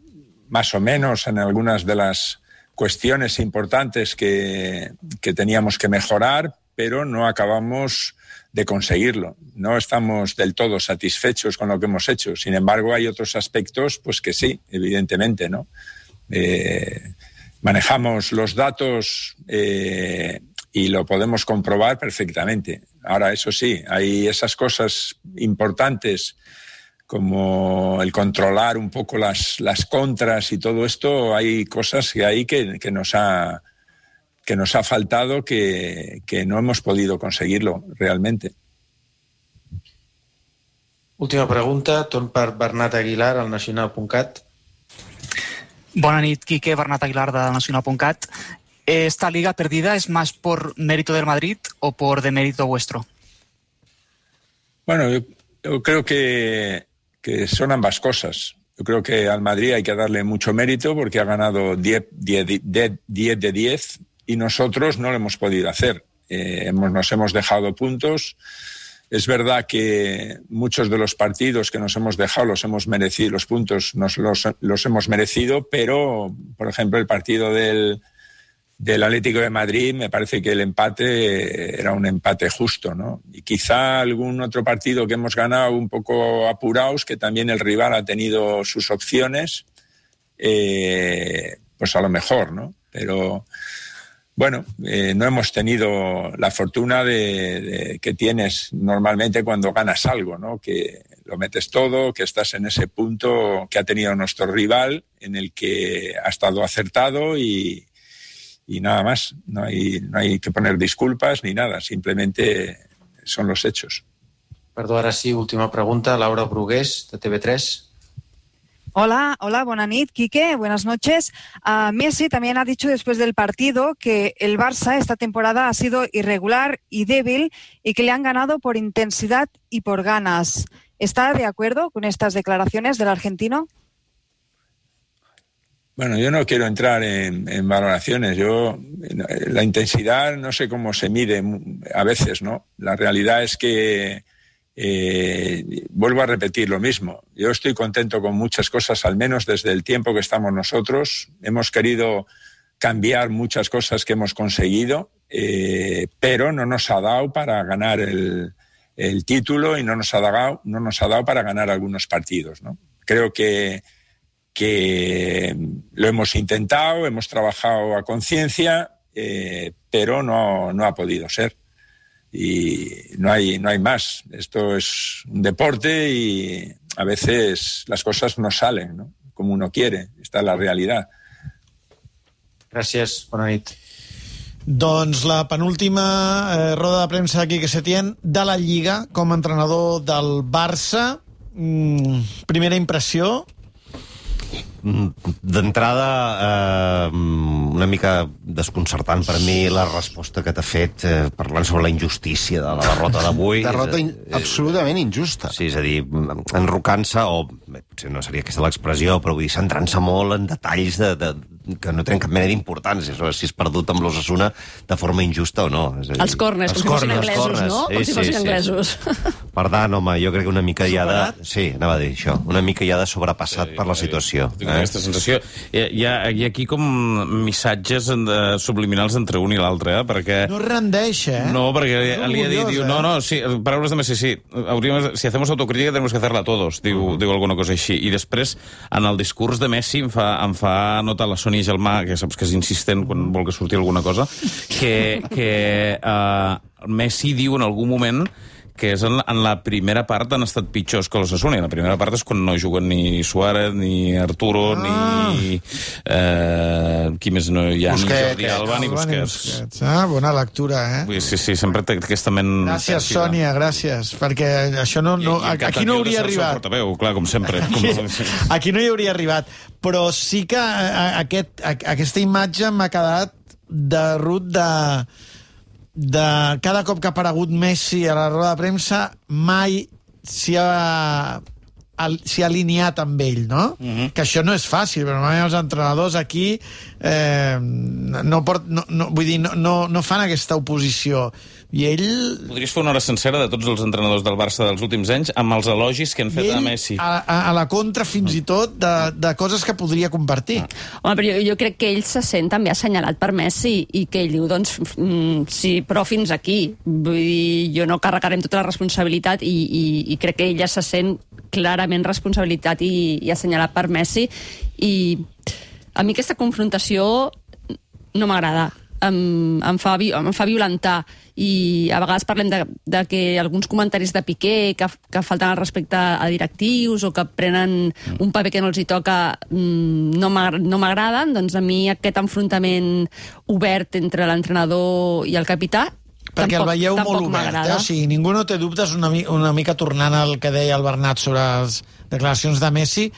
más o menos en algunas de las cuestiones importantes que, que teníamos que mejorar, pero no acabamos de conseguirlo. No estamos del todo satisfechos con lo que hemos hecho. Sin embargo, hay otros aspectos, pues que sí, evidentemente, ¿no? Eh, manejamos los datos eh, y lo podemos comprobar perfectamente. Ahora, eso sí, hay esas cosas importantes como el controlar un poco las, las contras y todo esto. Hay cosas que hay que, que, nos, ha, que nos ha faltado que, que no hemos podido conseguirlo realmente. Última pregunta, torn per Bernat Aguilar, al nacional punt cat. Bona nit, Quique, Bernat Aguilar de nacional punt cat. ¿Esta liga perdida es más por mérito del Madrid o por demérito vuestro? Bueno, yo, yo creo que, que son ambas cosas. Yo creo que al Madrid hay que darle mucho mérito porque ha ganado diez de diez y nosotros no lo hemos podido hacer. Eh, hemos, nos hemos dejado puntos. Es verdad que muchos de los partidos que nos hemos dejado los hemos merecido, los puntos nos los, los hemos merecido, pero, por ejemplo, el partido del, del Atlético de Madrid, me parece que el empate era un empate justo, ¿no? Y quizá algún otro partido que hemos ganado un poco apurados, que también el rival ha tenido sus opciones, eh, pues a lo mejor, ¿no? Pero... Bueno, eh, no hemos tenido la fortuna de, de que tienes normalmente cuando ganas algo, ¿no? Que lo metes todo, que estás en ese punto que ha tenido nuestro rival, en el que ha estado acertado y, y nada más. No hay, no hay que poner disculpas ni nada, simplemente son los hechos. Perdó, ara sí, última pregunta, Laura Brugués, de T V tres. Hola, hola, buena nit, Quique, buenas noches. Uh, Messi también ha dicho después del partido que el Barça esta temporada ha sido irregular y débil y que le han ganado por intensidad y por ganas. ¿Está de acuerdo con estas declaraciones del argentino? Bueno, yo no quiero entrar en, en valoraciones. Yo la intensidad no sé cómo se mide a veces, ¿no? La realidad es que Eh, vuelvo a repetir lo mismo. Yo estoy contento con muchas cosas, al menos desde el tiempo que estamos nosotros. Hemos querido cambiar muchas cosas que hemos conseguido, eh, pero no nos ha dado para ganar el, el título y no nos ha dado, no nos ha dado para ganar algunos partidos, ¿no? Creo que, que lo hemos intentado, hemos trabajado a conciencia, eh, pero no, no ha podido ser. Y no hay, no hay más. Esto es un deporte y a veces las cosas no salen, ¿no? Como uno quiere. Esta es la realidad. Gràcies, bona nit. Doncs la penúltima eh, roda de premsa de Quique Setién de la Lliga com a entrenador del Barça. Mm, primera impressió? D'entrada, eh, una mica desconcertant per mi la resposta que t'ha fet eh, parlant sobre la injustícia de la derrota d'avui. Derrota in absolutament injusta. Sí, és a dir, enrocant-se, o bé, potser no seria aquesta l'expressió, però vull dir, centrant-se molt en detalls de, de, que no tenen cap mena d'importància, si és perdut amb l'Osasuna de forma injusta o no. És a dir, els corners, com si fossin anglesos, no? Com si fossin anglesos. Per tant, home, jo crec que una mica hi ha de... Sí, anava a dir això. Una mica hi ha de sobrepassat per la situació. Tinc aquesta sensació. Hi ha, hi ha aquí com missatges de, subliminals entre un i l'altre, eh? Perquè... No rendeix, eh? No, perquè no li ha dit, diu, no, no, sí, paraules de Messi, sí, hauríem, si hacemos autocrítica tenemos que hacerla todos, diu, uh-huh. diu alguna cosa així. I després, en el discurs de Messi, em fa, em fa notar la Sònia Gelmà, que saps que és insistent quan vol que surti alguna cosa, que, que uh, Messi diu en algun moment que és en la, en la primera part han estat pitjors que l'Osasuna, i la primera part és quan no juguen ni Suárez, ni Arturo, ah. ni... Eh, qui més no hi ha? Busquets, ni Jordi Alba, ni Busquets. Busquets. Ah, bona lectura, eh? Sí, sí, sempre té aquesta ment... Gràcies, Sònia, gràcies, perquè això no... no I, i aquí no hauria arribat. Portaveu, clar, com sempre. Aquí, aquí no hi hauria arribat, però sí que aquest, aquesta imatge m'ha quedat de Ruth de... de cada cop que ha aparegut Messi a la roda de premsa mai s'hi ha, s'hi ha alineat amb ell, no? Uh-huh. Que això no és fàcil, però mai els entrenadors aquí eh, no, port, no, no, vull dir, no, no, no fan aquesta oposició. I ell... Podries fer una hora sencera de tots els entrenadors del Barça dels últims anys amb els elogis que han fet a Messi. A, a, a la contra, fins i tot, de, de coses que podria compartir. Home, però jo, jo crec que ell se sent també assenyalat per Messi i que ell diu, doncs, mm, sí, però fins aquí. Vull dir, jo no carregarem tota la responsabilitat i, i, i crec que ella se sent clarament responsabilitat i, i assenyalat per Messi. I a mi aquesta confrontació no m'agrada. Em, em, fa, em fa violentar, i a vegades parlem de, de que alguns comentaris de Piqué que, que falten al respecte a directius o que prenen un paper que no els hi toca no m'agraden. Doncs a mi aquest enfrontament obert entre l'entrenador i el capità perquè tampoc, el veieu molt obert, eh? O sigui, ningú no té dubtes, una, una mica tornant al que deia el Bernat sobre les declaracions de Messi,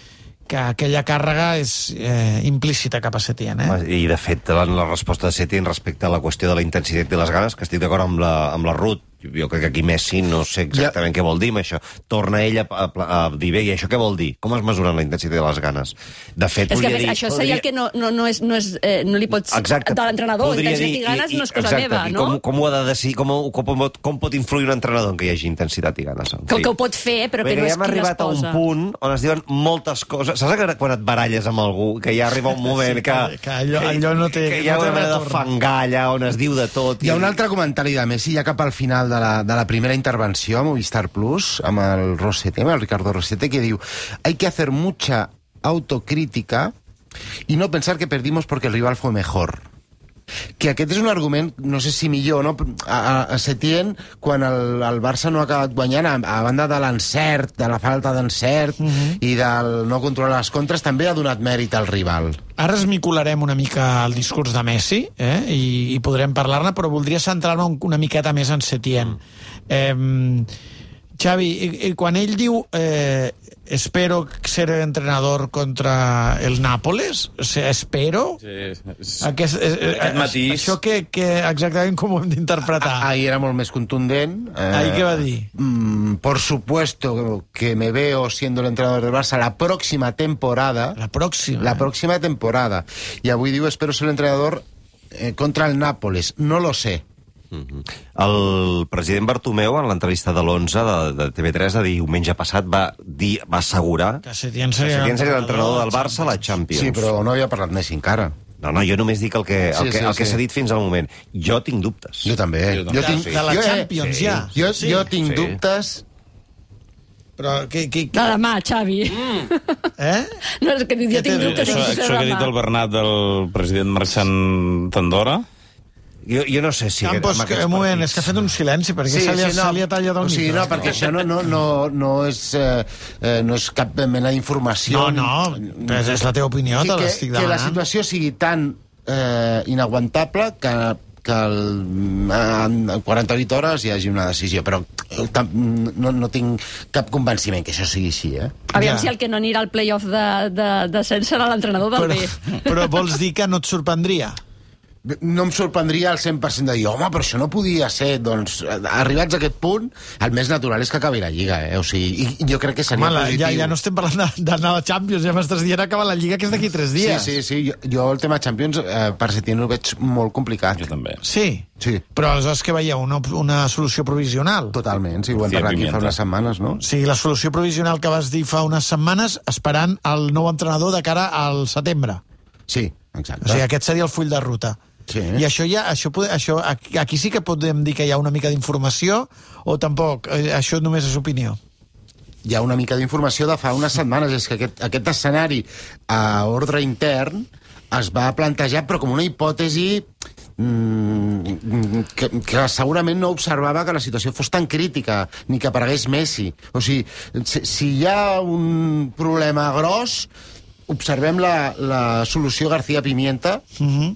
que aquella càrrega és eh, implícita cap a Setién, eh? I, de fet, la resposta de Setién respecte a la qüestió de la intensitat i les ganes, que estic d'acord amb la, amb la Ruth, jo crec que aquí Messi no sé exactament ja. què vol dir amb això. Torna ell a, a, a dir, bé, i això què vol dir? Com es mesuren la intensitat i les ganes? De fet, és que dir, això seria podria... el que no, no, no, és, no, és, eh, no li pots... Exacte. De l'entrenador, intensitat dir, i ganes i, i, no és cosa exacte, meva, no? Com, com ho ha de decidir, com, com, com pot influir un entrenador en què hi hagi intensitat i ganes? En que, que ho pot fer, però que no és ja hem arribat a un punt on es diuen moltes coses. Saps que quan et baralles amb algú, que ja arriba un moment que... Sí, que, que allò, allò no té... Que hi ha no una manera de fangar allà on es diu de tot. Hi ha un altre comentari de Messi, ja cap al final de la, de la primera intervenció a Movistar Plus, amb el Rosete, amb el Ricardo Rosete, que diu: hay que hacer mucha autocrítica y no pensar que perdimos porque el rival fue mejor. Que aquest és un argument, no sé si millor, no? A, a Setién, quan el, el Barça no ha acabat guanyant, a, a banda de l'encert, de la falta d'encert uh-huh. i del no controlar les contres, també ha donat mèrit al rival. Ara esmicolarem una mica el discurs de Messi, eh? I, i podrem parlar-ne, però voldria centrar-me una miqueta més en Setién. Mm. Eh, Xavi, i, i quan ell diu eh, espero ser entrenador contra el Nàpoles, o sigui, espero... Sí, és... Aquest, eh, aquest matís... Això que, que exactament com ho hem d'interpretar? Ahir era molt més contundent. Eh, Ahir què va dir? Mm, por supuesto que me veo siendo el entrenador del Barça la próxima temporada. La próxima. La próxima temporada. I avui diu espero ser el entrenador eh, contra el Nàpoles. No lo sé. Uh-huh. El president Bartomeu, en l'entrevista de l'onze de, de T V tres de diumenge passat, va dir, va assegurar que Setién seria l'entrenador del Barça a la Champions. Sí, però no havia parlat Messi encara. No, no, jo només dic el que, el sí, que, sí, el que sí. s'ha dit fins al moment. Jo tinc dubtes. Jo també. Jo, també. jo tinc, de la jo, Champions, sí. ja. Jo, sí. jo tinc sí. dubtes... Però que... que, que... De demà, Xavi. Mm. Eh? No, és que jo tinc dubtes. Això, això que ha dit el Bernat del president marxant d'Andorra... Jo, jo no sé si... Campos, que, un moment, és que ha fet un silenci, perquè sí, se, li ha, sí, no, se li ha tallat el o sigui, micro. no, perquè això no, no, no, no, és, eh, no és cap mena d'informació. No, no, és, és la teva opinió, te l'estic demanant. Que la situació sigui tan eh, inaguantable que que el, en quaranta-vuit hores hi hagi una decisió, però no, no tinc cap convenciment que això sigui així, eh? Aviam ja. si el que no anirà al play-off de, de, de cens serà l'entrenador del però, B. Però vols dir que no et sorprendria? No em sorprendria al cent per cent de dir, home, però això no podia ser. Doncs, arribats a aquest punt, el més natural és que acabi la Lliga, eh? O sigui, i jo crec que seria home, positiu. Ja, ja no estem parlant d'anar a la Champions, ja m'estàs dient acabar la Lliga, que és d'aquí tres dies. Sí, sí, sí. Jo, jo el tema Champions, eh, per Setién ho veig molt complicat. Jo també. Sí? Sí. Però aleshores que veieu una, una solució provisional? Totalment, sí, ho hem parlat aquí fa unes setmanes, no? Sí, la solució provisional que vas dir fa unes setmanes, esperant el nou entrenador de cara al setembre. Sí, exacte. O sigui, aquest seria el full de ruta. Sí. I això ja, això, això, aquí sí que podem dir que hi ha una mica d'informació o tampoc, això només és opinió? Hi ha una mica d'informació de fa unes setmanes, és que aquest, aquest escenari a ordre intern es va plantejar però com una hipòtesi que, que segurament no observava que la situació fos tan crítica, ni que aparegués Messi. O sigui, si, si hi ha un problema gros, observem la, la solució García Pimienta uh-huh.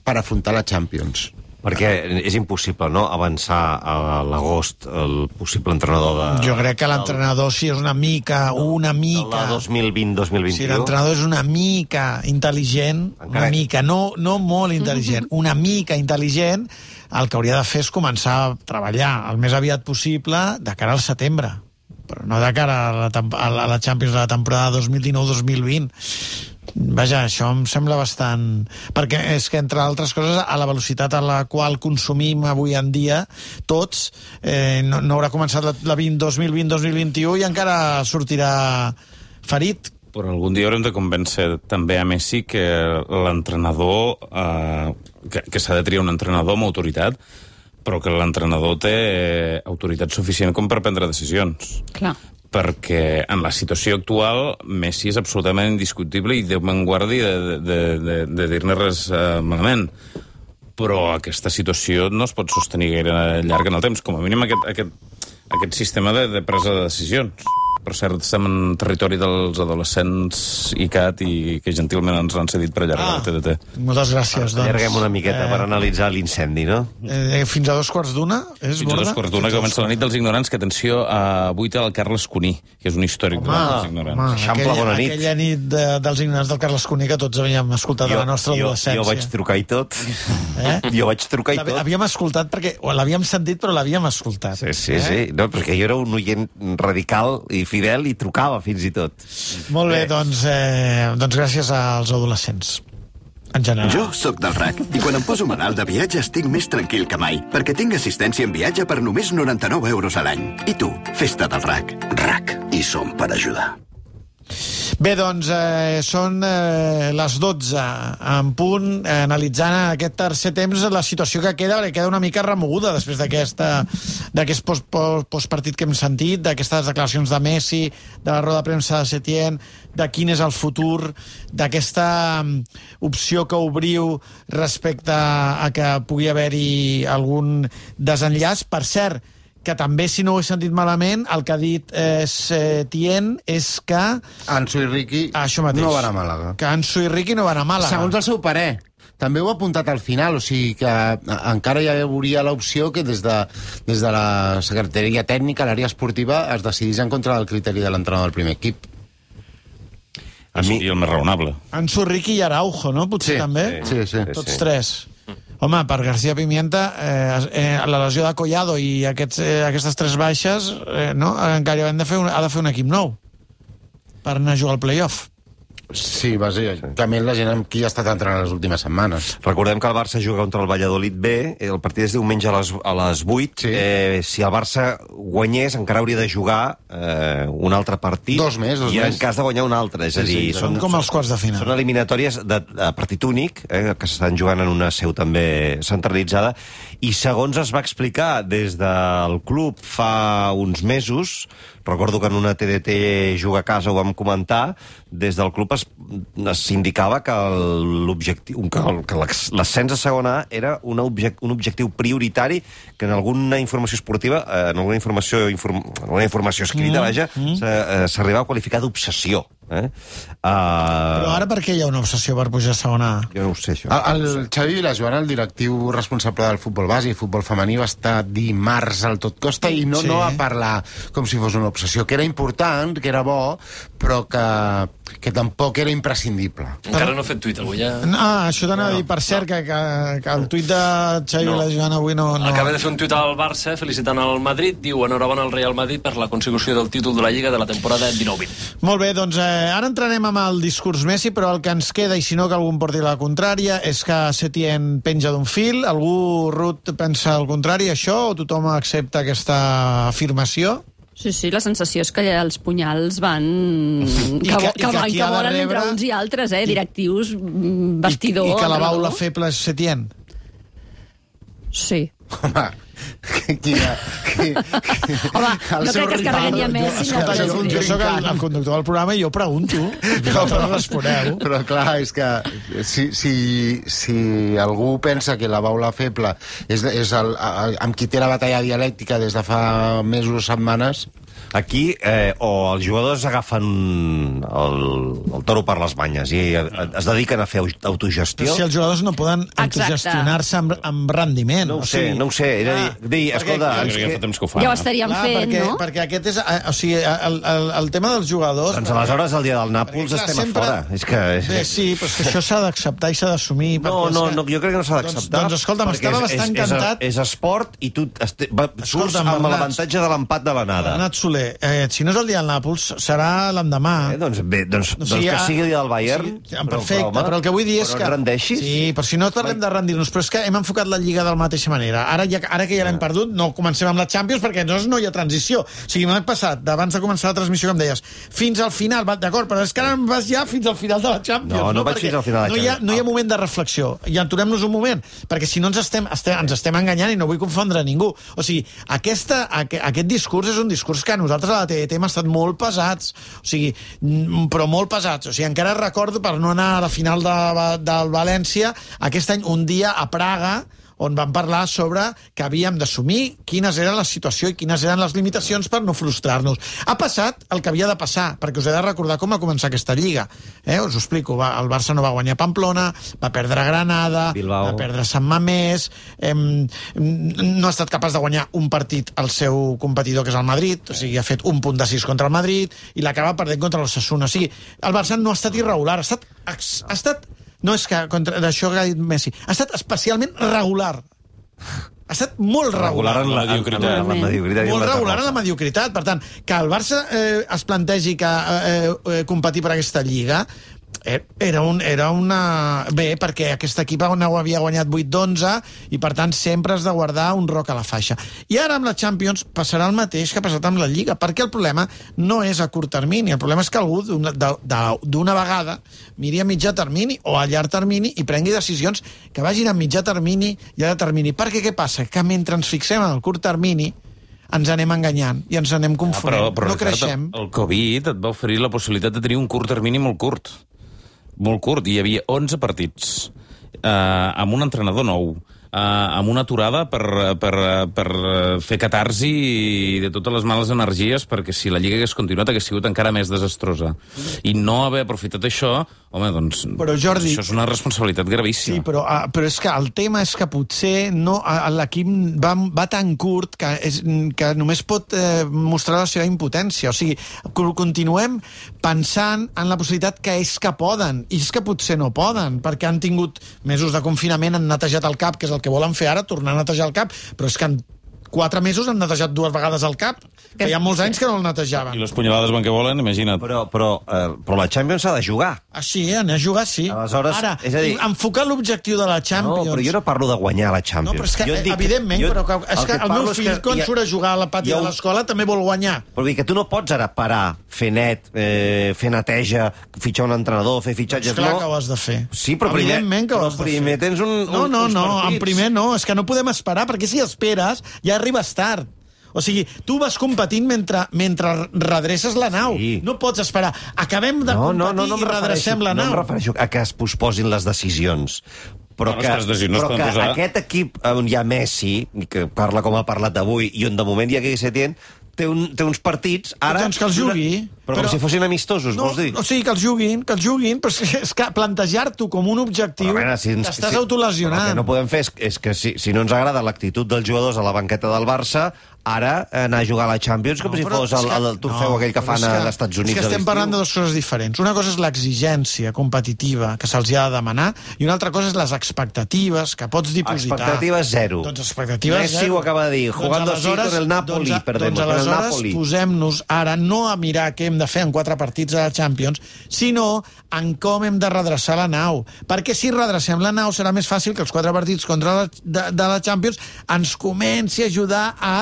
per afrontar la Champions. Perquè és impossible, no?, avançar a l'agost el possible entrenador de... Jo crec que l'entrenador, si és una mica, una mica... De dos mil vint dos mil vint-i-u. Si l'entrenador és una mica intel·ligent, una mica, no, no molt intel·ligent, una mica intel·ligent, el que hauria de fer és començar a treballar el més aviat possible de cara al setembre, però no de cara a la, a la Champions de la temporada dos mil dinou dos mil vint. Vaja, això em sembla bastant... Perquè és que, entre altres coses, a la velocitat a la qual consumim avui en dia, tots, eh, no, no haurà començat la, la dos mil vint dos mil vint-i-u i encara sortirà ferit. Però algun dia haurem de convèncer també a Messi que l'entrenador... Eh, que, que s'ha de triar un entrenador amb autoritat, però que l'entrenador té autoritat suficient com per prendre decisions. Clar. Perquè en la situació actual Messi és absolutament indiscutible i Déu me'n guardi de, de, de, de dir-ne res uh, malament. Però aquesta situació no es pot sostenir gaire llarg en el temps, com a mínim aquest, aquest, aquest sistema de, de presa de decisions. Per cert, estem en territori dels adolescents I C A T i que gentilment ens l'han cedit per allargar ah, la T D T. Moltes gràcies. Doncs, allarguem una miqueta eh, per analitzar l'incendi, no? Eh, fins a dos quarts d'una? És fins a dos quarts d'una, que comença la nit dels ignorants, que atenció, a vuit el Carles Cuní, que és un històric home, dels ignorants. Home, aquella, bona nit. Aquella nit de, dels ignorants del Carles Cuní que tots havíem escoltat jo, a la nostra jo, adolescència. Jo vaig trucar i tot. Eh? Jo vaig trucar i tot. Havíem escoltat perquè... L'havíem sentit, però l'havíem escoltat. Sí, sí, eh? sí. No, perquè jo era un oient radical i fidel i trucava fins i tot. Molt bé, doncs, eh, doncs gràcies als adolescents. En general. Jo sóc del R A C i quan em poso malalt de viatge estic més tranquil que mai, perquè tinc assistència en viatge per només noranta-nou euros a l'any. I tu, festa del R A C. R A C. I som per ajudar. Bé, doncs, eh, són eh, les dotze en punt, eh, analitzant aquest tercer temps la situació que queda, perquè queda una mica remoguda després d'aquesta d'aquest post, post, postpartit que hem sentit, d'aquestes declaracions de Messi, de la roda de premsa de Setién, de quin és el futur, d'aquesta opció que obriu respecte a que pugui haver-hi algun desenllaç. Per cert, que també, si no ho he sentit malament, el que ha dit eh, Setién és que... Ansu i Riqui no van a Màlaga. Que Ansu i Riqui no van a Màlaga. Segons el seu parer. També ho ha apuntat al final, o sigui que encara hi hauria l'opció que des de, des de la Secretaria Tècnica, l'àrea esportiva, es decidís en contra del criteri de l'entrenador del primer equip. A mi... I el més raonable. Ansu, Riqui i Araujo, no? Potser sí, també? Sí, sí. Tots sí. tres. Home, per García Pimienta, eh, eh, la lesió de Collado i aquests, eh, aquestes tres baixes, eh, no? Encara hem de fer un, ha de fer un equip nou per anar a jugar al play-off. Sí, bàsicament la gent amb qui ha estat entrenant les últimes setmanes. Recordem que el Barça juga contra el Valladolid B, el partit és diumenge a les, a les vuit. Sí. Eh, si el Barça guanyés, encara hauria de jugar eh, un altre partit. Dos més, dos I més. en cas de guanyar un altre. És sí, a dir, sí, són com els quarts de final. Són eliminatòries de, de partit únic, eh, que s'estan jugant en una seu també centralitzada. I segons es va explicar des del club fa uns mesos, recordo que en una T D T Juga a Casa ho vam comentar, des del club es, es indicava que l'objectiu, que l'ascens a segona A era un, object, un objectiu prioritari que en alguna informació esportiva, en alguna informació, inform, en alguna informació escrita, mm, vaja, mm. s'arribava a qualificar d'obsessió. Eh? Uh... Però ara per què hi ha una obsessió per pujar a segona A? Jo no ho sé, això. El, el Xavi Vilajoana, el directiu responsable del futbol base i futbol femení, va estar dimarts al tot costa i no, sí. no va parlar com si fos una obsessió, que era important, que era bo, però que, que tampoc era imprescindible. Encara no ha fet tuit, avui ja... Ah, això t'anava no, a dir, per cert, no. que, que, que el tuit de Xavi no. Vilajoana avui no, no... Acaba de fer un tuit al Barça felicitant el Madrid, diu enhorabona al Real Madrid per la consecució del títol de la Lliga de la temporada dinou vint. Molt bé, doncs eh, ara entrarem amb el discurs Messi, però el que ens queda, i si no que algú em porti la contrària, és que Setién penja d'un fil. Algú, Ruth, pensa el contrari, això, o tothom accepta aquesta afirmació? Sí, sí, la sensació és que els punyals van... que, que, que, que, van, que volen rebre... entre uns i altres, eh? Directius, vestidor... I, i que la baula feble és Setién? Sí. Home, Quina, qui, Home, no crec que es carregui a Messi. Escolta, jo, jo soc el, el conductor del programa i jo pregunto, i vosaltres responeu. Però clar, és que si, si, si algú pensa que la baula feble és, és el, el, amb qui té la batalla dialèctica des de fa mesos o setmanes... Aquí, eh, o els jugadors agafen el, el toro per les banyes i es dediquen a fer autogestió. Si els jugadors no poden autogestionar-se amb, amb rendiment. No ho sé, no ho sé. Era dir, dir escolta... Ja fa temps que ho fan. Ja ho estaríem clar, fent, perquè, no? Perquè aquest és... O sigui, el, el, el tema dels jugadors... Doncs aleshores el dia del Nàpols clar, estem sempre... a fora. És que... És... Bé, sí, però és que això s'ha d'acceptar i s'ha d'assumir. No, no, no, jo crec que no s'ha d'acceptar. Doncs, doncs escolta'm, estava és, bastant és, encantat... És, és esport i tu este, va, surts amb l'avantatge de l'empat de l'anada. Bernat Soler, eh, si no és el dia del Nàpols, serà l'endemà. Eh, doncs bé, doncs, O sigui, doncs que ah, sigui el dia del Bayern. Sí, perfecte, però, però el que vull dir és però que... no et rendeixis? Sí, però si no parlem de rendir-nos, però és que hem enfocat la Lliga de la mateixa manera. Ara, ja, ara que ja l'hem perdut, no comencem amb la Champions perquè llavors no hi ha transició. O sigui, l'any passat, d'abans de començar la transmissió, com deies, fins al final, va, d'acord, però és que ara vas ja fins al final de la Champions. No, no, no vaig perquè fins al final de la no hi ha, Champions. no hi ha moment de reflexió. I aturem-nos un moment, perquè si no ens estem, estem, ens estem enganyant i no vull confondre ningú. O sigui, aquesta, aqu aquest discurs és un discurs que a nosaltres a la T D T hem estat molt pesats, o sigui, però molt pesats. O sigui, encara recordo, per no anar a la final de, del València, aquest any, un dia a Praga, on vam parlar sobre que havíem d'assumir quines eren la situació i quines eren les limitacions per no frustrar-nos. Ha passat el que havia de passar, perquè us he de recordar com va començar aquesta Lliga. Eh? Us ho explico. Va, el Barça no va guanyar Pamplona, va perdre Granada, Bilbao. Va perdre Sant Mamés, eh, no ha estat capaç de guanyar un partit al seu competidor, que és el Madrid, o sigui, ha fet un punt de sis contra el Madrid i l'acaba perdent contra l'Osasuna. O sigui, el Barça no ha estat irregular, ha estat... Ha estat no és que, contra d'això que ha dit Messi, ha estat especialment regular. Ha estat molt regular. Regular en la mediocritat. En la mediocritat molt regular en la mediocritat. Per tant, que el Barça eh, es plantegi que eh, eh, competir per aquesta Lliga era, un, era una... Bé, perquè aquest equip havia guanyat vuit d'onze i, per tant, sempre has de guardar un roc a la faixa. I ara amb la Champions passarà el mateix que ha passat amb la Lliga, perquè el problema no és a curt termini, el problema és que algú d'una vegada miri a mitjà termini o a llarg termini i prengui decisions que vagin a mitjà termini i a llarg termini. Perquè què passa? Que mentre ens fixem en el curt termini ens anem enganyant i ens anem confonent. Ah, però, però, no creixem. El Covid et va oferir la possibilitat de tenir un curt termini molt curt. Molt curt. Hi havia onze partits eh, amb un entrenador nou, eh, amb una aturada per, per, per fer catarsi de totes les males energies, perquè si la Lliga hagués continuat hagués sigut encara més desastrosa. I no haver aprofitat això, home, doncs però, Jordi, això és una responsabilitat gravíssima. Sí, però, uh, però és que el tema és que potser no, uh, l'equip va, va tan curt que, és, que només pot uh, mostrar la seva impotència. O sigui, continuem pensant en la possibilitat que és que poden, i és que potser no poden, perquè han tingut mesos de confinament, han netejat el cap, que és el que volen fer ara, tornar a netejar el cap, però és que en quatre mesos han netejat dues vegades el cap, que hi ha molts anys que no el netejaven. I les punyalades van que volen, imagina't. Però, però, eh, però la Champions s'ha de jugar. Ah, sí, anar a jugar, sí. Aleshores, ara, és a dir... enfocar l'objectiu de la Champions... No, però jo no parlo de guanyar la Champions. No, però és que, jo dic, evidentment, jo, però que, és el que, que el meu fill, quan ha, surt a jugar a la pati ha, de l'escola, també vol guanyar. Però dir que tu no pots ara parar, fer net, eh, fer neteja, fitxar un entrenador, fer fitxatges... És clar no. que ho has de fer. Sí, però primer, evidentment que ho però has de primer fer. tens un, un, no, no, uns no, partits. en primer no, és que no podem esperar, perquè si esperes ja arribes tard. O sigui, tu vas competint mentre, mentre redreces la nau. Sí. No pots esperar. Acabem de no, competir no, no, no i redrecem la nau. No em refereixo a que es posposin les decisions. Però, no, que, que, decisions però que posar... aquest equip on hi ha Messi, que parla com ha parlat avui, i on de moment hi ha Quique Setién, té, un, té uns partits... Ara, doncs que els jugui. Però, però com si fossin amistosos, no, vols dir? O sigui, que els juguin, que els juguin, però és que plantejar-t'ho com un objectiu, veure, si ens, t'estàs si, autolesionant. El que no podem fer és, és que si, si no ens agrada l'actitud dels jugadors a la banqueta del Barça, ara anar a jugar a la Champions com no, si fos el, el, el trofeu no, aquell que fan que, als Estats Units. És que estem parlant de dues coses diferents. Una cosa és l'exigència competitiva que se'ls ha de demanar i una altra cosa és les expectatives que pots dipositar. Expectatives zero. Doncs expectatives Messi zero. ho acaba de dir, jugando doncs así con el Napoli, doncs, perdemos, doncs con el aleshores Napoli. Posem-nos ara no a mirar què hem de fer en quatre partits a la Champions, sinó en com hem de redreçar la nau. Perquè si redrecem la nau serà més fàcil que els quatre partits contra la, de, de la Champions ens comenci a ajudar a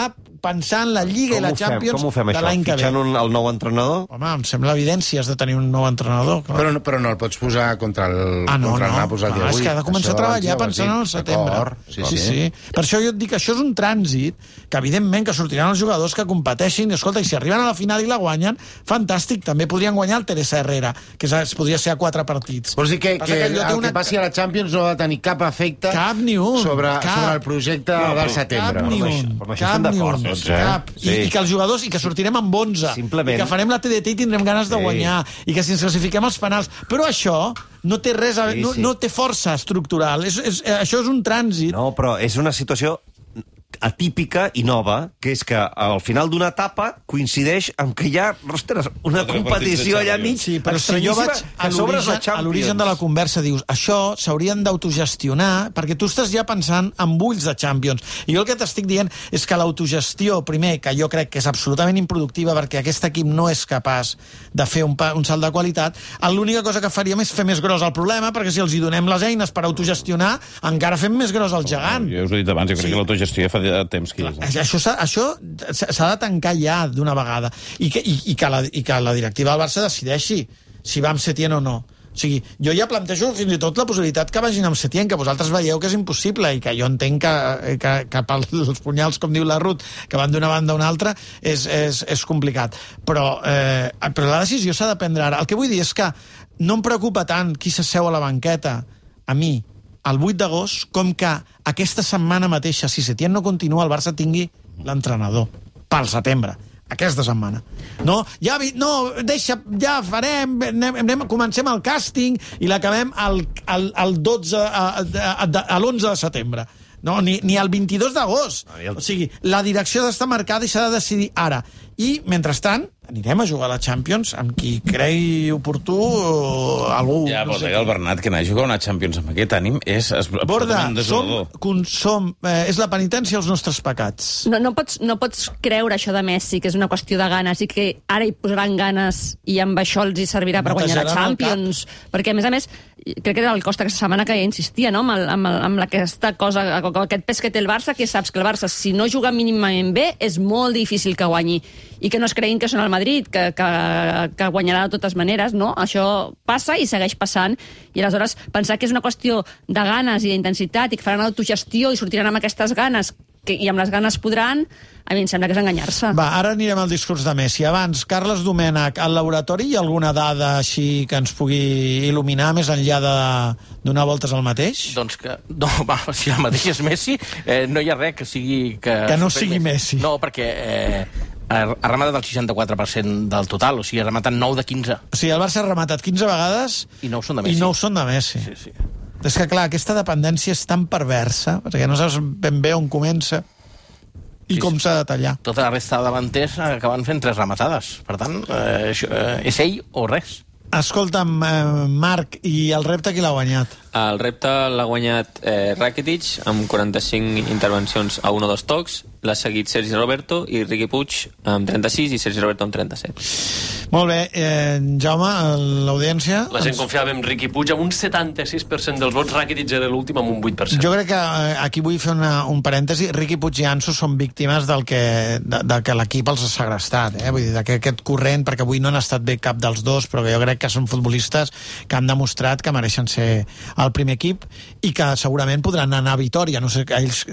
pensar en la Lliga com i la fem, Champions com ho fem, de això? l'any que ve. Fitxant un, el nou entrenador? Home, em sembla evidència, has de tenir un nou entrenador. Clar. Però, però no el pots posar contra el, ah, no, contra el no. Nàpols el dia ah, avui. És que ha de començar això a treballar pensant en el setembre. Sí, sí, sí. Per això jo et dic que això és un trànsit, que evidentment que sortiran els jugadors que competeixin, i escolta, i si arriben a la final i la guanyen, fantàstic, també podrien guanyar el Teresa Herrera, que es podria ser a quatre partits. Vols dir que, que, que el una... que passi a la Champions no va tenir cap efecte cap ni un, sobre, cap. sobre el projecte no, del setembre. Cap ni un, però cap ni un, tots, eh? cap. I, sí. I que els jugadors, i que sortirem amb onze, simplement. I que farem la T D T i tindrem ganes de sí. guanyar, i que si ens classifiquem els penals. Però això no té res a... Sí, no, sí. no té força estructural. És, és, això és un trànsit. No, però és una situació atípica i nova, que és que al final d'una etapa coincideix amb que hi ha, ostres, una competició allà mig, sí, però si jo vaig a l'origen de la conversa, dius, això s'haurien d'autogestionar, perquè tu estàs ja pensant en ulls de Champions. I jo el que t'estic dient és que l'autogestió, primer, que jo crec que és absolutament improductiva perquè aquest equip no és capaç de fer un, un salt de qualitat, l'única cosa que faríem és fer més gros el problema, perquè si els hi donem les eines per autogestionar, encara fem més gros el gegant. Jo us ho he dit abans, jo crec sí. que l'autogestió ja fa de temps que és. Eh? Això s'ha això s'ha de tancar ja d'una vegada. I que, i, i, que la, I que la directiva del Barça decideixi si va amb Setién o no. O sigui, jo ja plantejo fins i tot la possibilitat que vagin amb Setién, que vosaltres veieu que és impossible i que jo entenc que, que, que pels punyals, com diu la Ruth, que van d'una banda a una altra, és, és, és complicat. Però, eh, però la decisió s'ha de prendre ara. El que vull dir és que no em preocupa tant qui s'asseu a la banqueta, a mi, el vuit d'agost, com que aquesta setmana mateixa, si Setién no continua, el Barça tingui l'entrenador pel setembre, aquesta setmana. No, ja vi, no, deixa, ja farem, anem, anem, comencem el càsting i l'acabem al, al, al dotze, a, a, a, a l'onze de setembre. No, ni, ni el vint-i-dos d'agost. O sigui, la direcció d'estar marcada i s'ha de decidir ara. I, mentrestant, anirem a jugar a la Champions amb qui cregui oportú o algú... Ja, no però sé el Bernat, que anar a jugar a una Champions amb aquest ànim és Borda, absolutament desolador. som, som, eh, és la penitència als nostres pecats. No, no, pots, no pots creure això de Messi, que és una qüestió de ganes i que ara hi posaran ganes i amb això els hi servirà per guanyar la Champions. Perquè, a més a més, crec que era el Costa aquesta setmana que ja insistia, no?, amb, el, amb, el, amb aquesta cosa, aquest pes que té el Barça, que saps que el Barça, si no juga mínimament bé, és molt difícil que guanyi. I que no es creguin que són el Madrid, que, que, que guanyarà de totes maneres, no? Això passa i segueix passant. I aleshores pensar que és una qüestió de ganes i d'intensitat i que faran autogestió i sortiran amb aquestes ganes que, i amb les ganes podran, a mi em sembla que és enganyar-se. Va, ara anirem al discurs de Messi. Abans, Carles Domènech, al laboratori hi ha alguna dada així que ens pugui il·luminar més enllà de donar voltes al mateix? Doncs que, no, va, si el mateix és Messi, eh, no hi ha res que sigui... Que, que no sigui Messi. No, perquè eh, ha rematat el seixanta-quatre per cent del total, o sigui, ha rematat nou de quinze. O sigui, el Barça ha rematat quinze vegades i nou són de Messi. I nou són de Messi. Sí, sí. És que, clar, aquesta dependència és tan perversa, perquè no saps ben bé on comença i sí, com s'ha de tallar. Tota la resta de davanters acaben fent tres rematades. Per tant, eh, això, eh, és ell o res. Escolta'm, eh, Marc, i el repte qui l'ha guanyat? El repte l'ha guanyat eh, Rakitic amb quaranta-cinc intervencions a un o dos tocs, l'ha seguit Sergi Roberto i Riqui Puig amb trenta-sis i Sergi Roberto amb trenta-set. Molt bé, eh, Jaume, l'audiència... La gent confiava en Riqui Puig amb un setanta-sis per cent dels vots, Rakitic era l'últim amb un vuit per cent. Jo crec que eh, aquí vull fer una, un parèntesi. Riqui Puig i Ansu són víctimes del que, de, de que l'equip els ha segrestat, eh? Vull dir, d'aquest corrent, perquè avui no han estat bé cap dels dos, però jo crec que són futbolistes que han demostrat que mereixen ser el primer equip i que segurament podran anar a Vitòria. No sé ells,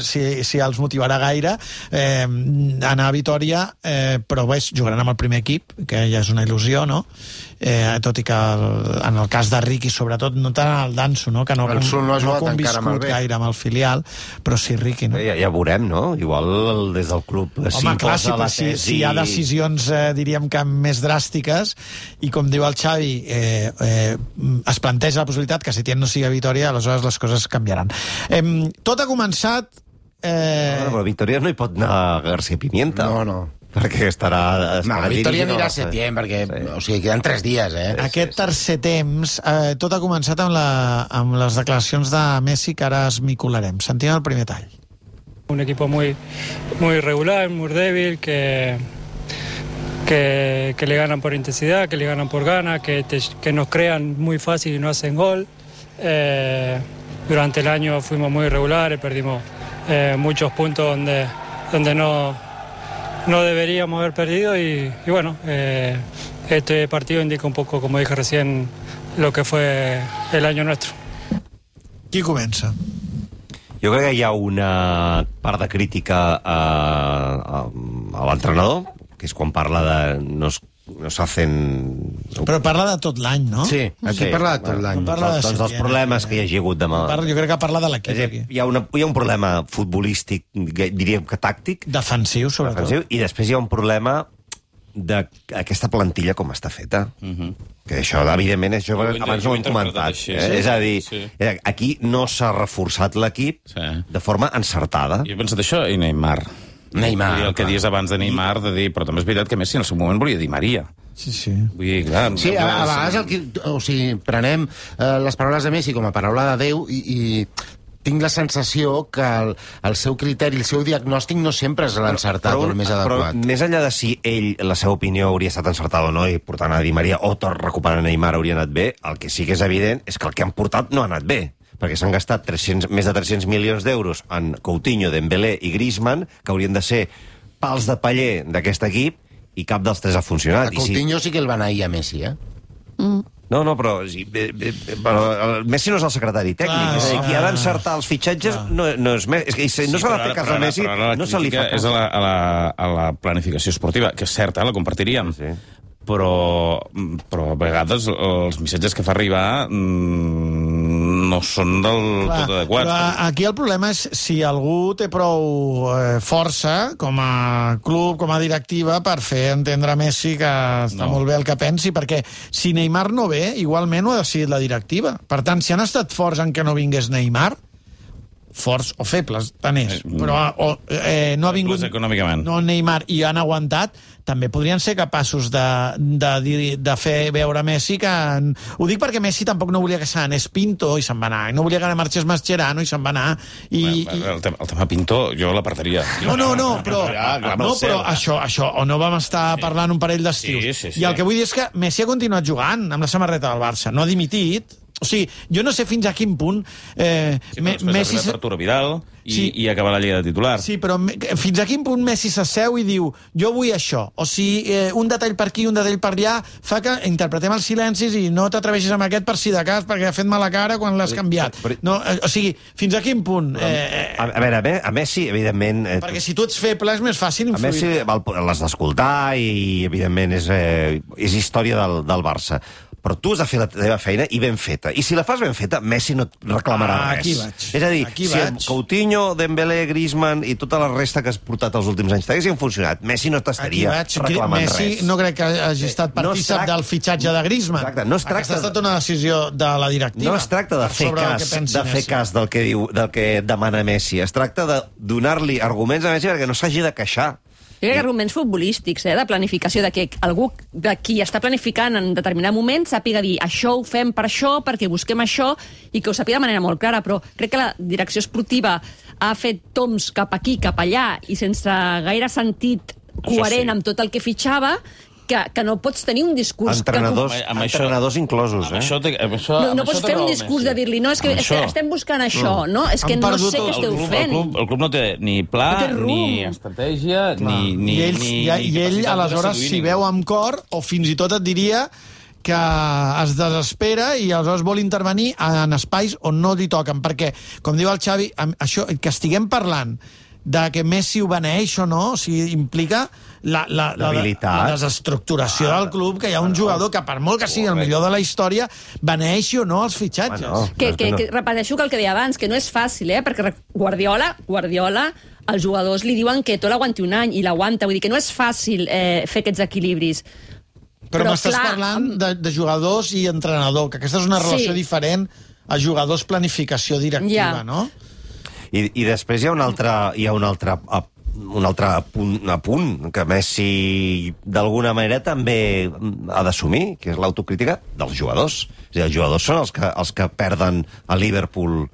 si, si els motivarà gaire eh, anar a Vitòria, eh, però bé, jugaran amb el primer equip, que ja és una il·lusió, no? Eh, tot i que el, en el cas de Riqui, sobretot, no tant el Danso, no? Que no, el Sul no ha jugat no ha encara amb el B. gaire amb el filial, però sí Riqui, no? Ja, ja veurem, no? Igual des del club Home, clar, si, si, si hi ha decisions, eh, diríem que més dràstiques, i com diu el Xavi, eh, eh, es planteja la possibilitat que Setién no sigui a Vitòria, aleshores les coses canviaran. Eh, tot ha començat... Eh... No, però a Vitòria no hi pot anar García Pimienta. No, no. Perquè estarà... No, a Vitòria anirà a Setién, perquè sí. O sigui, queden tres dies, eh? Aquest tercer temps, eh, tot ha començat amb, la, amb les declaracions de Messi, que ara esmicolarem. Sentim el primer tall. Un equipo muy, muy irregular, muy débil, que, que, que le ganan por intensidad, que le ganan por ganas, que, te, que nos crean muy fácil y no hacen gol. Eh, durante el año fuimos muy irregulares, perdimos eh, muchos puntos donde... donde no, no deberíamos haber perdido y, y bueno, eh, este partido indica un poco, como dije recién, lo que fue el año nuestro. Qui comença? Jo crec que hi ha una part de crítica a, a, a l'entrenador, que és quan parla de no es, no s'hacen... Però parla de tot l'any, no? Sí, aquí sí, parla de tot l'any. No parla de doncs dels problemes que hi ha hagut demà. Parla, jo crec que parla de l'equip aquí. Hi ha, una, hi ha un problema futbolístic, diríem que tàctic. Defensiu, sobretot. Defensiu, i després hi ha un problema d'aquesta plantilla com està feta. Uh-huh. Que això, evidentment, és, jo, abans no ho hem comentat. Així, eh? Sí? És a dir, sí. Aquí no s'ha reforçat l'equip sí. de forma encertada. Jo he pensat això i Neymar. Neymar. El que dius abans de Neymar, de dir, però també és veritat que Messi en el seu moment volia dir Maria. Sí, sí. Vull dir, clar... Sí, a, a vegades el que, o sigui, prenem eh, les paraules de Messi com a paraula de Déu i... i tinc la sensació que el, el seu criteri, el seu diagnòstic no sempre és l'encertat o el més adequat. Però més enllà de si ell, la seva opinió hauria estat encertada o no, i portant a Di Maria o tot recuperant Neymar hauria anat bé, el que sí que és evident és que el que han portat no ha anat bé, perquè s'han gastat tres-cents, més de tres-cents milions d'euros en Coutinho, Dembélé i Griezmann, que haurien de ser pals de paller d'aquest equip, i cap dels tres ha funcionat. A Coutinho sí que el van ahir a Messi, eh? Mm. No, no, però, sí, bé, bé, però el Messi no és el secretari tècnic. Clar, és a dir, qui ha d'encertar els fitxatges no, no és Messi. És que si no sí, s'ha de fer cas a Messi, no se li fa cas. És a la, a, la, a la planificació esportiva, que és certa, la compartiríem. Sí. Però, però a vegades els missatges que fa arribar mmm, no són del Clar, tot adequats. Però aquí el problema és si algú té prou eh, força com a club, com a directiva, per fer entendre a Messi que està no. molt bé el que pensi, perquè si Neymar no ve, igualment ho ha decidit la directiva. Per tant, si han estat forts en que no vingués Neymar, forts o febles, tant és, però o, eh, no ha vingut no Neymar i han aguantat, també podrien ser capaços de, de, de fer veure Messi que... Ho dic perquè Messi tampoc no volia que se n'anés Pinto i se'n va anar, no volia que marxés Mascherano i se'n va anar. I, bueno, el, tema, el tema Pinto jo l'apartaria. No, no, no, però, no, però això, això, o no vam estar sí. parlant un parell d'estius. Sí, sí, sí. I el que vull dir és que Messi ha continuat jugant amb la samarreta del Barça, no ha dimitit. O sigui, jo no sé fins a quin punt... Eh, sí, però després Messi... arriba Arturo Vidal i, sí. i acaba la Lliga de titular. Sí, però fins a quin punt Messi s'asseu i diu jo vull això, o sigui, eh, un detall per aquí, un detall per allà, fa que interpretem els silencis i no t'atreveixis amb aquest per si de cas, perquè ha fet mala cara quan l'has canviat. No, eh, o sigui, fins a quin punt... Eh, a, a veure, a Messi, evidentment... Eh, perquè si tu ets feble és més fàcil influir. A Messi l'has d'escoltar i, evidentment, és, eh, és història del, del Barça. Però tu has de fer la teva feina i ben feta. I si la fas ben feta, Messi no et reclamarà ah, res. Aquí vaig. És a dir, aquí si vaig. Coutinho, Dembélé, Griezmann i tota la resta que has portat els últims anys t'haguessin funcionat, Messi no t'estaria reclamant Messi res. No crec que hagi estat partícip no del fitxatge de Griezmann. Exacte, no es tracta... Aquesta ha estat una decisió de la directiva. No es tracta de fer cas, de fer cas del que diu, del que demana Messi. Es tracta de donar-li arguments a Messi perquè no s'hagi de queixar. Jo crec que arguments futbolístics, eh, de planificació, de que algú de qui està planificant en determinat moment sàpiga dir això ho fem per això, perquè busquem això, i que ho sàpiga de manera molt clara, però crec que la direcció esportiva ha fet toms cap aquí, cap allà, i sense gaire sentit coherent sí. amb tot el que fitxava, que, que no pots tenir un discurs... Entrenadors, que... amb entrenadors això, inclosos, eh? Amb això, amb això, no no amb pots això fer un discurs Messi. de dir-li, no, és que, és que estem buscant això, no? És que no sé què esteu el club, fent. El club, el club no té ni pla, no ni estratègia, Clar. ni, ni, I ell, ni, i, ni i ell aleshores s'hi veu amb cor, o fins i tot et diria que es desespera i aleshores vol intervenir en espais on no li toquen, perquè, com diu el Xavi, això, que estiguem parlant de que Messi ho beneeix o no, o sigui, implica la, la, la, la desestructuració ah, del club, que hi ha un jugador que, per molt que sigui el millor de la història, beneeixi o no els fitxatges. Bueno, que, que, que repeteixo que el que deia abans, que no és fàcil, eh? Perquè Guardiola, Guardiola, els jugadors li diuen que tot l'aguanti un any, i l'aguanta, vull dir que no és fàcil eh, fer aquests equilibris. Però, Però m'estàs parlant de, de jugadors i entrenador, que aquesta és una relació sí. diferent a jugadors-planificació directiva, ja. no? I, I després hi ha un altre, hi ha un altre, un altre punt, punt que Messi d'alguna manera també ha d'assumir, que és l'autocrítica dels jugadors. És a dir, els jugadors són els que, els que perden a Liverpool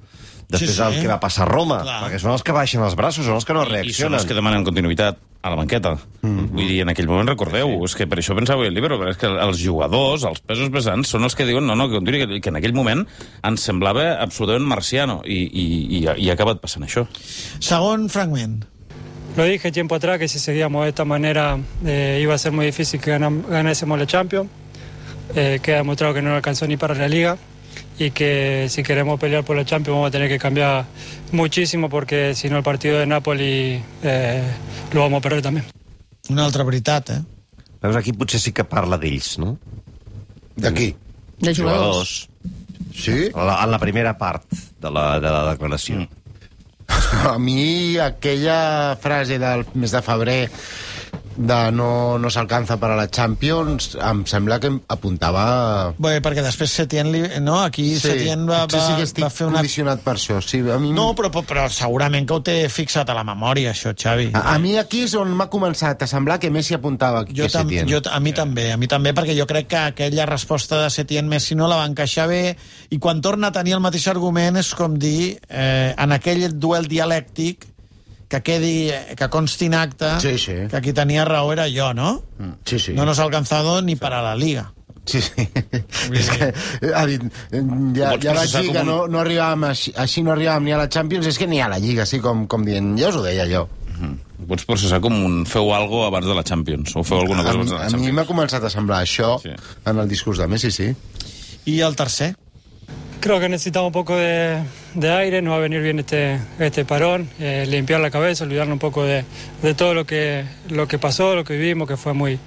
després sí, sí. el que va passar a Roma, Clar. perquè són els que baixen els braços, són els que no reaccionen. I són els que demanen continuïtat a la banqueta. Mm-hmm. Vull dir, en aquell moment, recordeu, sí. és que per això pensava el llibre, és que els jugadors, els pesos pesants, són els que diuen no, no, que continuï, que en aquell moment ens semblava absolutament marciano, i, i, i, i ha acabat passant això. Segon fragment. lo dije tiempo atrás que si seguíamos de esta manera eh, iba a ser muy difícil que ganam, ganásemos la Champions. Eh, queda demostrado que no alcanzó ni para la Liga y que si queremos pelear por la Champions vamos a tener que cambiar muchísimo porque si no el partido de Napoli eh, lo vamos a perder també. Una altra veritat, eh? Veus, aquí potser sí que parla d'ells, no? De qui? De jugadors. Sí? En la, en la primera part de la, de la declaració. Mm. A mi aquella frase del mes de febrer de no, no s'alcanza per a la Champions em sembla que apuntava... Bé, perquè després Setién, li, no? Aquí sí, Setién va, va, sí que estic va fer una... condicionat per això. Sí, a mi... No, però, però segurament que ho té fixat a la memòria, això, Xavi. A, a mi aquí és on m'ha començat a semblar que Messi apuntava jo que Setién. Jo, a mi també, a mi també, perquè jo crec que aquella resposta de Setién-Messi no la va encaixar bé, i quan torna a tenir el mateix argument és com dir, eh, en aquell duel dialèctic, que quedi, que consti en acte, sí, sí. que qui tenia raó era jo, no? Sí, sí. No nos ha alcanzado ni para la Liga. Sí, sí. És que, ha dit, ja, ja vaig dir que un... no, no arribàvem, així, així no arribàvem ni a la Champions, és que ni a la Lliga, així com, com dient, ja us ho deia jo. Mm-hmm. Pots processar com un feu algo abans de la Champions, o feu alguna cosa abans de la Champions. A mi m'ha començat a semblar això sí. en el discurs de Messi, sí. I el tercer? Creo que necesitamos un poco de, de aire, nos va a venir bien este, este parón, eh, limpiar la cabeza, olvidarnos un poco de, de todo lo que, lo que pasó, lo que vivimos, que fue muy,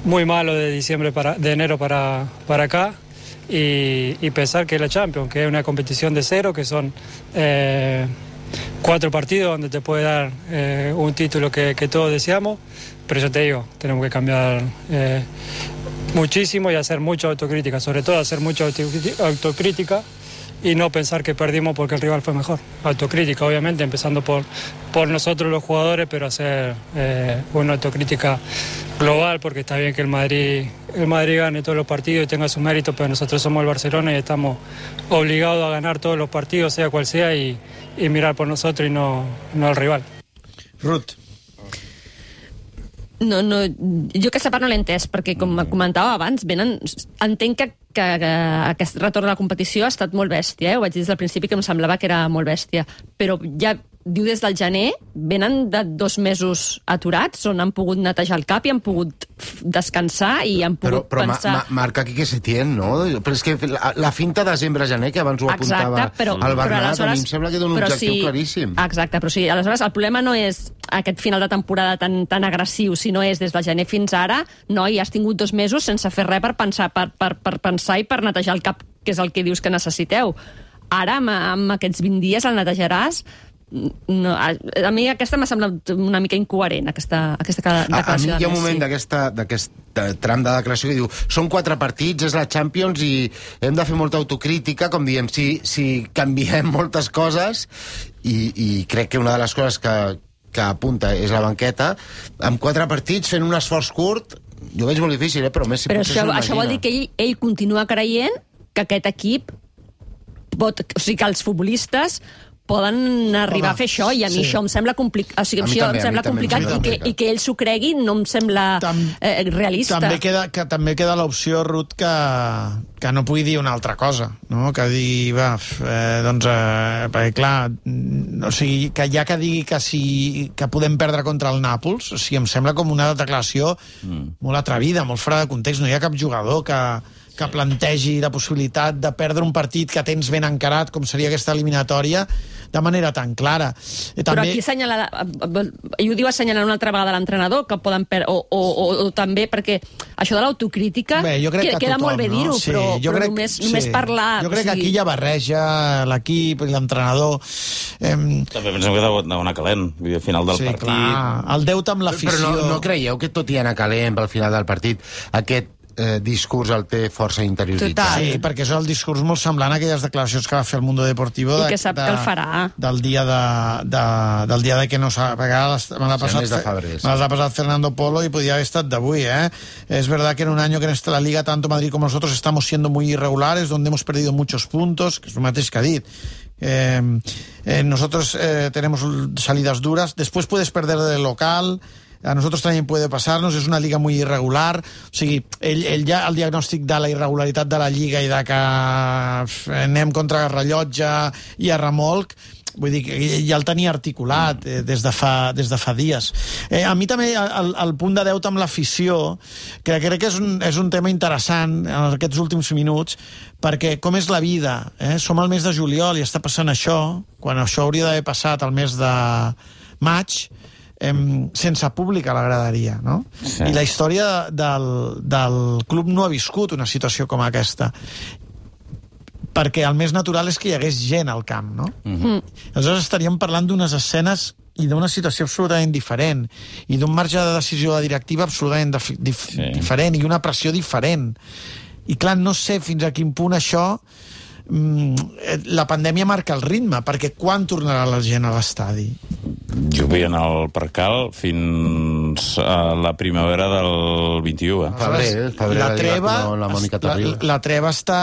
muy malo de diciembre para, de enero para, para acá, y, y pensar que la Champions, que es una competición de cero, que son eh, cuatro partidos donde te puede dar eh, un título que, que todos deseamos, pero yo te digo, tenemos que cambiar eh, muchísimo y hacer mucha autocrítica, sobre todo hacer mucha autocrítica y no pensar que perdimos porque el rival fue mejor. Autocrítica, obviamente, empezando por, por nosotros los jugadores, pero hacer eh, una autocrítica global, porque está bien que el Madrid, el Madrid gane todos los partidos y tenga su mérito, pero nosotros somos el Barcelona y estamos obligados a ganar todos los partidos, sea cual sea, y, y mirar por nosotros y no, no al rival. Ruth. No, no, jo aquesta part no l'he entès, perquè com comentava abans, venen, entenc que, que, que aquest retorn a la competició ha estat molt bèstia, eh? Ho vaig dir des del principi que em semblava que era molt bèstia, però ja diu des del gener, venen de dos mesos aturats, on han pogut netejar el cap i han pogut descansar i han pogut però, però pensar... Però marca aquí que Setién, no? Però és que la, la finta desembre-gener, que abans ho apuntava exacte, però, el Bernat, però a mi em sembla que dona un objectiu sí, claríssim. Exacte, però sí, aleshores el problema no és aquest final de temporada tan, tan agressiu, sinó és des del gener fins ara, no, i has tingut dos mesos sense fer res per pensar, per, per, per pensar i per netejar el cap, que és el que dius que necessiteu. Ara, amb, amb aquests vint dies el netejaràs. No, a, a mi aquesta m'ha semblat una mica incoherent, aquesta, aquesta declaració a, a mi hi ha un moment sí. d'aquest tram de declaració que diu són quatre partits, és la Champions i hem de fer molta autocrítica, com diem, si, si canviem moltes coses i, i crec que una de les coses que, que apunta és la banqueta, amb quatre partits fent un esforç curt, jo ho veig molt difícil, eh? Però Messi però això, això vol dir que ell, ell continua creient que aquest equip pot, o sigui, que els futbolistes poden arribar Home, a fer això, i a mi sí. això em sembla, complic... o sigui, això també, em sembla complicat i que, i que ell s'ho cregui no em sembla Tam, eh, realista. També queda, que, també queda l'opció, Ruth, que, que no pugui dir una altra cosa, no? Que digui, va, eh, doncs, eh, perquè clar, o sigui, que ja que digui que, si, que podem perdre contra el Nàpols, o sigui, em sembla com una declaració mm. molt atrevida, molt fora de context, no hi ha cap jugador que que plantegi la possibilitat de perdre un partit que tens ben encarat, com seria aquesta eliminatòria, de manera tan clara. I també... Però aquí assenyala, ell ho diu assenyalant una altra vegada l'entrenador, que poden per... o, o, o, o també perquè això de l'autocrítica que, que queda tothom, molt bé dir-ho, no? sí, però, però crec, només, sí. només parlar... Jo crec o sigui... que aquí ja barreja l'equip i l'entrenador. Em... També pensem que deu anar calent, al final del sí, partit. Clar, el deute amb l'afició... Però no, no creieu que tot i anar calent al final del partit, aquest Eh, discurs el té força interioritzat. Total. Sí, perquè és el discurs molt semblant a aquelles declaracions que va fer el Mundo Deportivo de, i que sap de, que el farà del dia de, de, del dia de que no s'ha... Me l'ha passat, passat Fernando Polo y podía haber estat d'avui, ¿eh? Es verdad que en un año que en esta la Liga tanto Madrid como nosotros estamos siendo muy irregulares, donde hemos perdido muchos puntos, que es lo mateix que ha dit. Eh, eh, nosotros eh, tenemos salidas duras, después puedes perder del local, a nosotros también puede pasarnos, és una liga muy irregular, o sigui, ell, ell ja el diagnòstic de la irregularitat de la lliga i de que anem contra rellotge i a remolc, Vull dir que ja el tenia articulat eh, des, de fa, des de fa dies. Eh, a mi també el, el punt de deute amb l'afició, que crec que és un, és un tema interessant en aquests últims minuts, perquè com és la vida? Eh? Som al mes de juliol i està passant això, quan això hauria d'haver passat al mes de maig, eh, sense públic a la graderia, no? Sí. I la història del, del club no ha viscut una situació com aquesta, perquè el més natural és que hi hagués gent al camp, no? Mm-hmm. Aleshores estaríem parlant d'unes escenes i d'una situació absolutament diferent, i d'un marge de decisió de directiva absolutament dif dif sí. diferent, i una pressió diferent. I clar, no sé fins a quin punt això... la pandèmia marca el ritme, perquè quan tornarà la gent a l'estadi? Jo vull anar al Percal fins a la primavera del vint-i-u. Eh? Febrer, febrer, la, treva, la, la, la treva està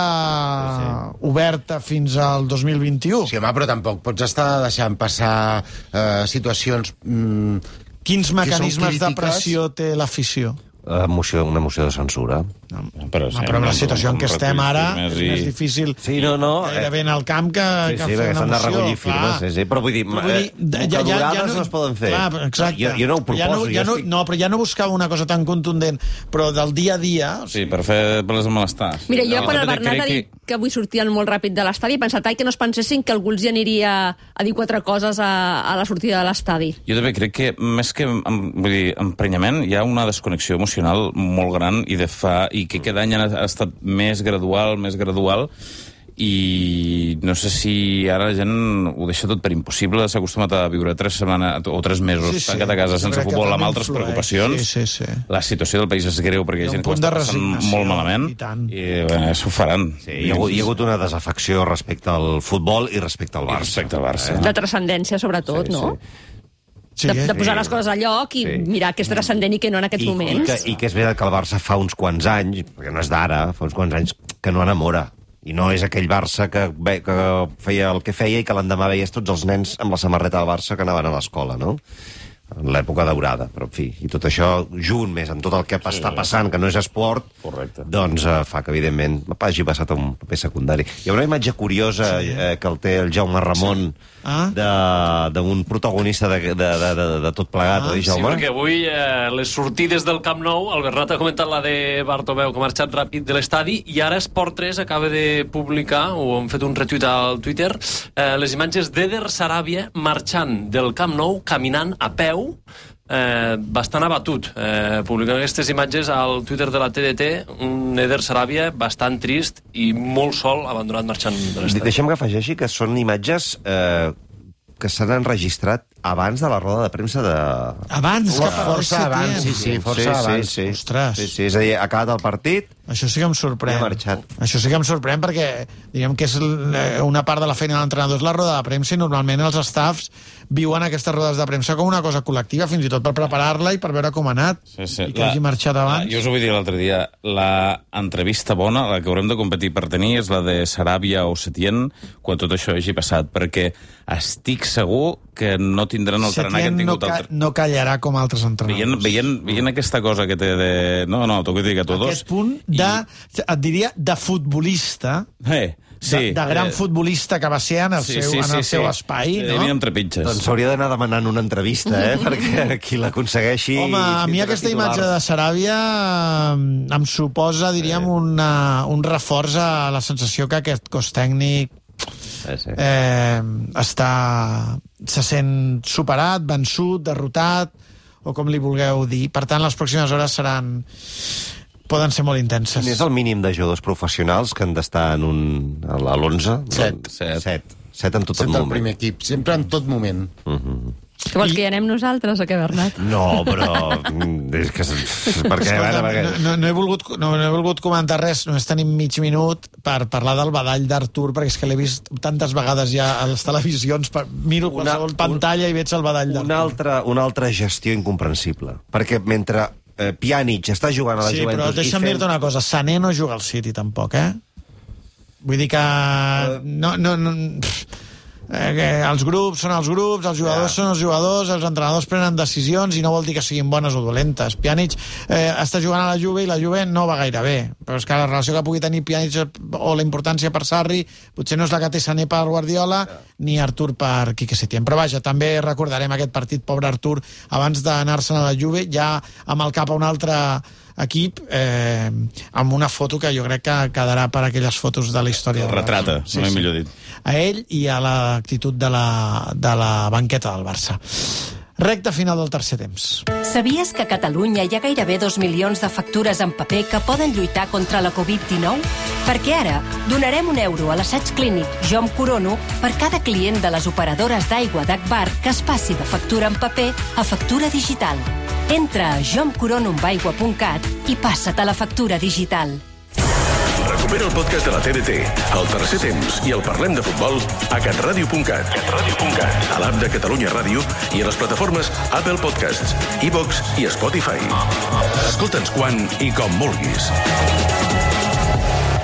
sí, sí. oberta fins al dos mil vint-i-u. Sí, home, però tampoc pots estar deixant passar eh, situacions... Mm, Quins mecanismes de pressió té l'afició? Emoció, una moció de censura. No, però, sí, no, però amb la situació en què estem ara és més difícil sí, no, no, gairebé en el camp que, sí, que sí, fer una moció. de recollir firmes, sí, sí, però vull dir, però vull dir eh, ja, ja, ja no, no es poden fer. Clar, exacte. Jo, jo no ho proposo. Ja no, ja no, estic... no, però ja no buscava una cosa tan contundent, però del dia a dia... Sí, per fer les malestars. Mira, jo no, quan el Bernat ha dit que... que avui sortien molt ràpid de l'estadi, he pensat ai, que no es pensessin que algú els hi aniria a dir quatre coses a, a la sortida de l'estadi. Jo també crec que, més que vull dir, emprenyament, hi ha una desconnexió emocional molt gran i, de fa, i que cada any ha estat més gradual, més gradual, i no sé si ara la gent ho deixa tot per impossible, s'ha acostumat a viure tres setmanes o tres mesos sí, sí. tancat a casa sense futbol amb altres influeix. preocupacions. Sí, sí, sí. La situació del país és greu perquè hi ha gent que ho està passant molt malament i, i bé, això ho faran. Sí, hi, ha hagut, hi ha hagut una desafecció respecte al futbol i respecte al Barça. Respecte al Barça. Eh? De transcendència, sobretot, sí, no? Sí. Sí, de, de posar sí. les coses a lloc i sí. mirar què és transcendent i què no en aquests I, moments. I que, I que és veritat que el Barça fa uns quants anys, perquè no és d'ara, fa uns quants anys que no enamora. I no és aquell Barça que, que feia el que feia i que l'endemà veies tots els nens amb la samarreta del Barça que anaven a l'escola, no? En l'època daurada, però en fi, i tot això junt més amb tot el que sí, està passant, que no és esport, correcte. Doncs eh, fa que evidentment hagi passat a un paper secundari. Hi ha una imatge curiosa sí. eh, que el té el Jaume Ramon sí. ah? d'un protagonista de, de, de, de, de tot plegat, ah, oi, Jaume? Sí, perquè avui eh, les sortides del Camp Nou, el Bernat ha comentat la de Bartomeu, que ha marxat ràpid de l'estadi, i ara Esport tres acaba de publicar, o han fet un retuit al Twitter, eh, les imatges d'Eder Sarabia marxant del Camp Nou, caminant a peu, Eh, bastant abatut, eh, publicant aquestes imatges al Twitter de la T D T, un Eder Sarabia bastant trist i molt sol, abandonat marxant de l'estadi. Deixem que afegeixi que són imatges eh, que s'han enregistrat abans de la roda de premsa de... Abans? La, que força abans, sí, sí, força sí, abans. Sí, sí. Ostres. Sí, sí, és a dir, ha acabat el partit... Això sí que em sorprèn. Això sí que em sorprèn perquè, diguem que és una part de la feina de l'entrenador és la roda de premsa i normalment els staffs viuen aquestes rodes de premsa com una cosa col·lectiva, fins i tot per preparar-la i per veure com ha anat. Sí, sí. I que la, hagi marxat abans. La, jo us ho vull dir l'altre dia, la entrevista bona, la que haurem de competir per tenir, és la de Sarabia o Setién, quan tot això hagi passat, perquè estic segur que no tindran el tarannà que han tingut... No, ca altre... no callarà com altres entrenadors. Veient, veient, veient aquesta cosa que té de... No, no, t'ho vull dir que tots... Aquest punt de, I... et diria, de futbolista... Eh, sí. De, de gran eh... futbolista que va ser en el sí, seu, sí, en el sí, seu sí. espai, sí, no? Amb trepitges. Doncs s'hauria d'anar demanant una entrevista, eh? Perquè qui l'aconsegueixi... Home, a mi aquesta imatge de Sarabia em suposa, diríem, una, un reforç a la sensació que aquest cos tècnic Sí, sí. Eh, està, se sent superat, vençut, derrotat, o com li vulgueu dir. Per tant, les pròximes hores seran poden ser molt intenses. Quin és el mínim de jugadors professionals que han d'estar en un, a l'onze? Set. Set. Set. Set en tot Set el moment. Set el primer equip, sempre en tot moment. Uh -huh. Que vols que hi anem nosaltres o què, Bernat? No, però... és que... Perquè, Escolta, perquè... no, no, no, he volgut, no, no he volgut comentar res, només tenim mig minut per parlar del badall d'Artur, perquè és que l'he vist tantes vegades ja a les televisions, per, miro una, qualsevol pantalla un, i veig el badall d'Artur. Una altra, una altra gestió incomprensible, perquè mentre eh, Pjanic està jugant a la sí, Juventus... Sí, però deixa'm fent... dir-te una cosa, Sané no juga al City tampoc, eh? Vull dir que... Uh... No, no, no... Eh, els grups són els grups, els jugadors yeah. són els jugadors, els entrenadors prenen decisions i no vol dir que siguin bones o dolentes. Pjanic eh, està jugant a la Juve i la Juve no va gaire bé, però és que la relació que pugui tenir Pjanic o la importància per Sarri potser no és la que té Sané per Guardiola yeah. ni Artur per Quique Setién. Però vaja, també recordarem aquest partit, pobre Artur, abans d'anar-se'n a la Juve, ja amb el cap a un altre equip, eh, amb una foto que jo crec que quedarà per aquelles fotos de la història. Retrata, sí, no he sí. millor dit. A ell i a l'actitud de la, de la banqueta del Barça. Recta final del tercer temps. Sabies que a Catalunya hi ha gairebé dos milions de factures en paper que poden lluitar contra la covid dinou? Perquè ara donarem un euro a l'assaig clínic Jo em corono per cada client de les operadores d'aigua d'Agbar que es passi de factura en paper a factura digital. Entra a jo em corono amb aigua punt cat i passa't a la factura digital. Recupera el podcast de la T D T, el tercer temps i el Parlem de Futbol a catradio punt cat, a l'app de Catalunya Ràdio i a les plataformes Apple Podcasts, iVoox i Spotify. Escolta'ns quan i com vulguis.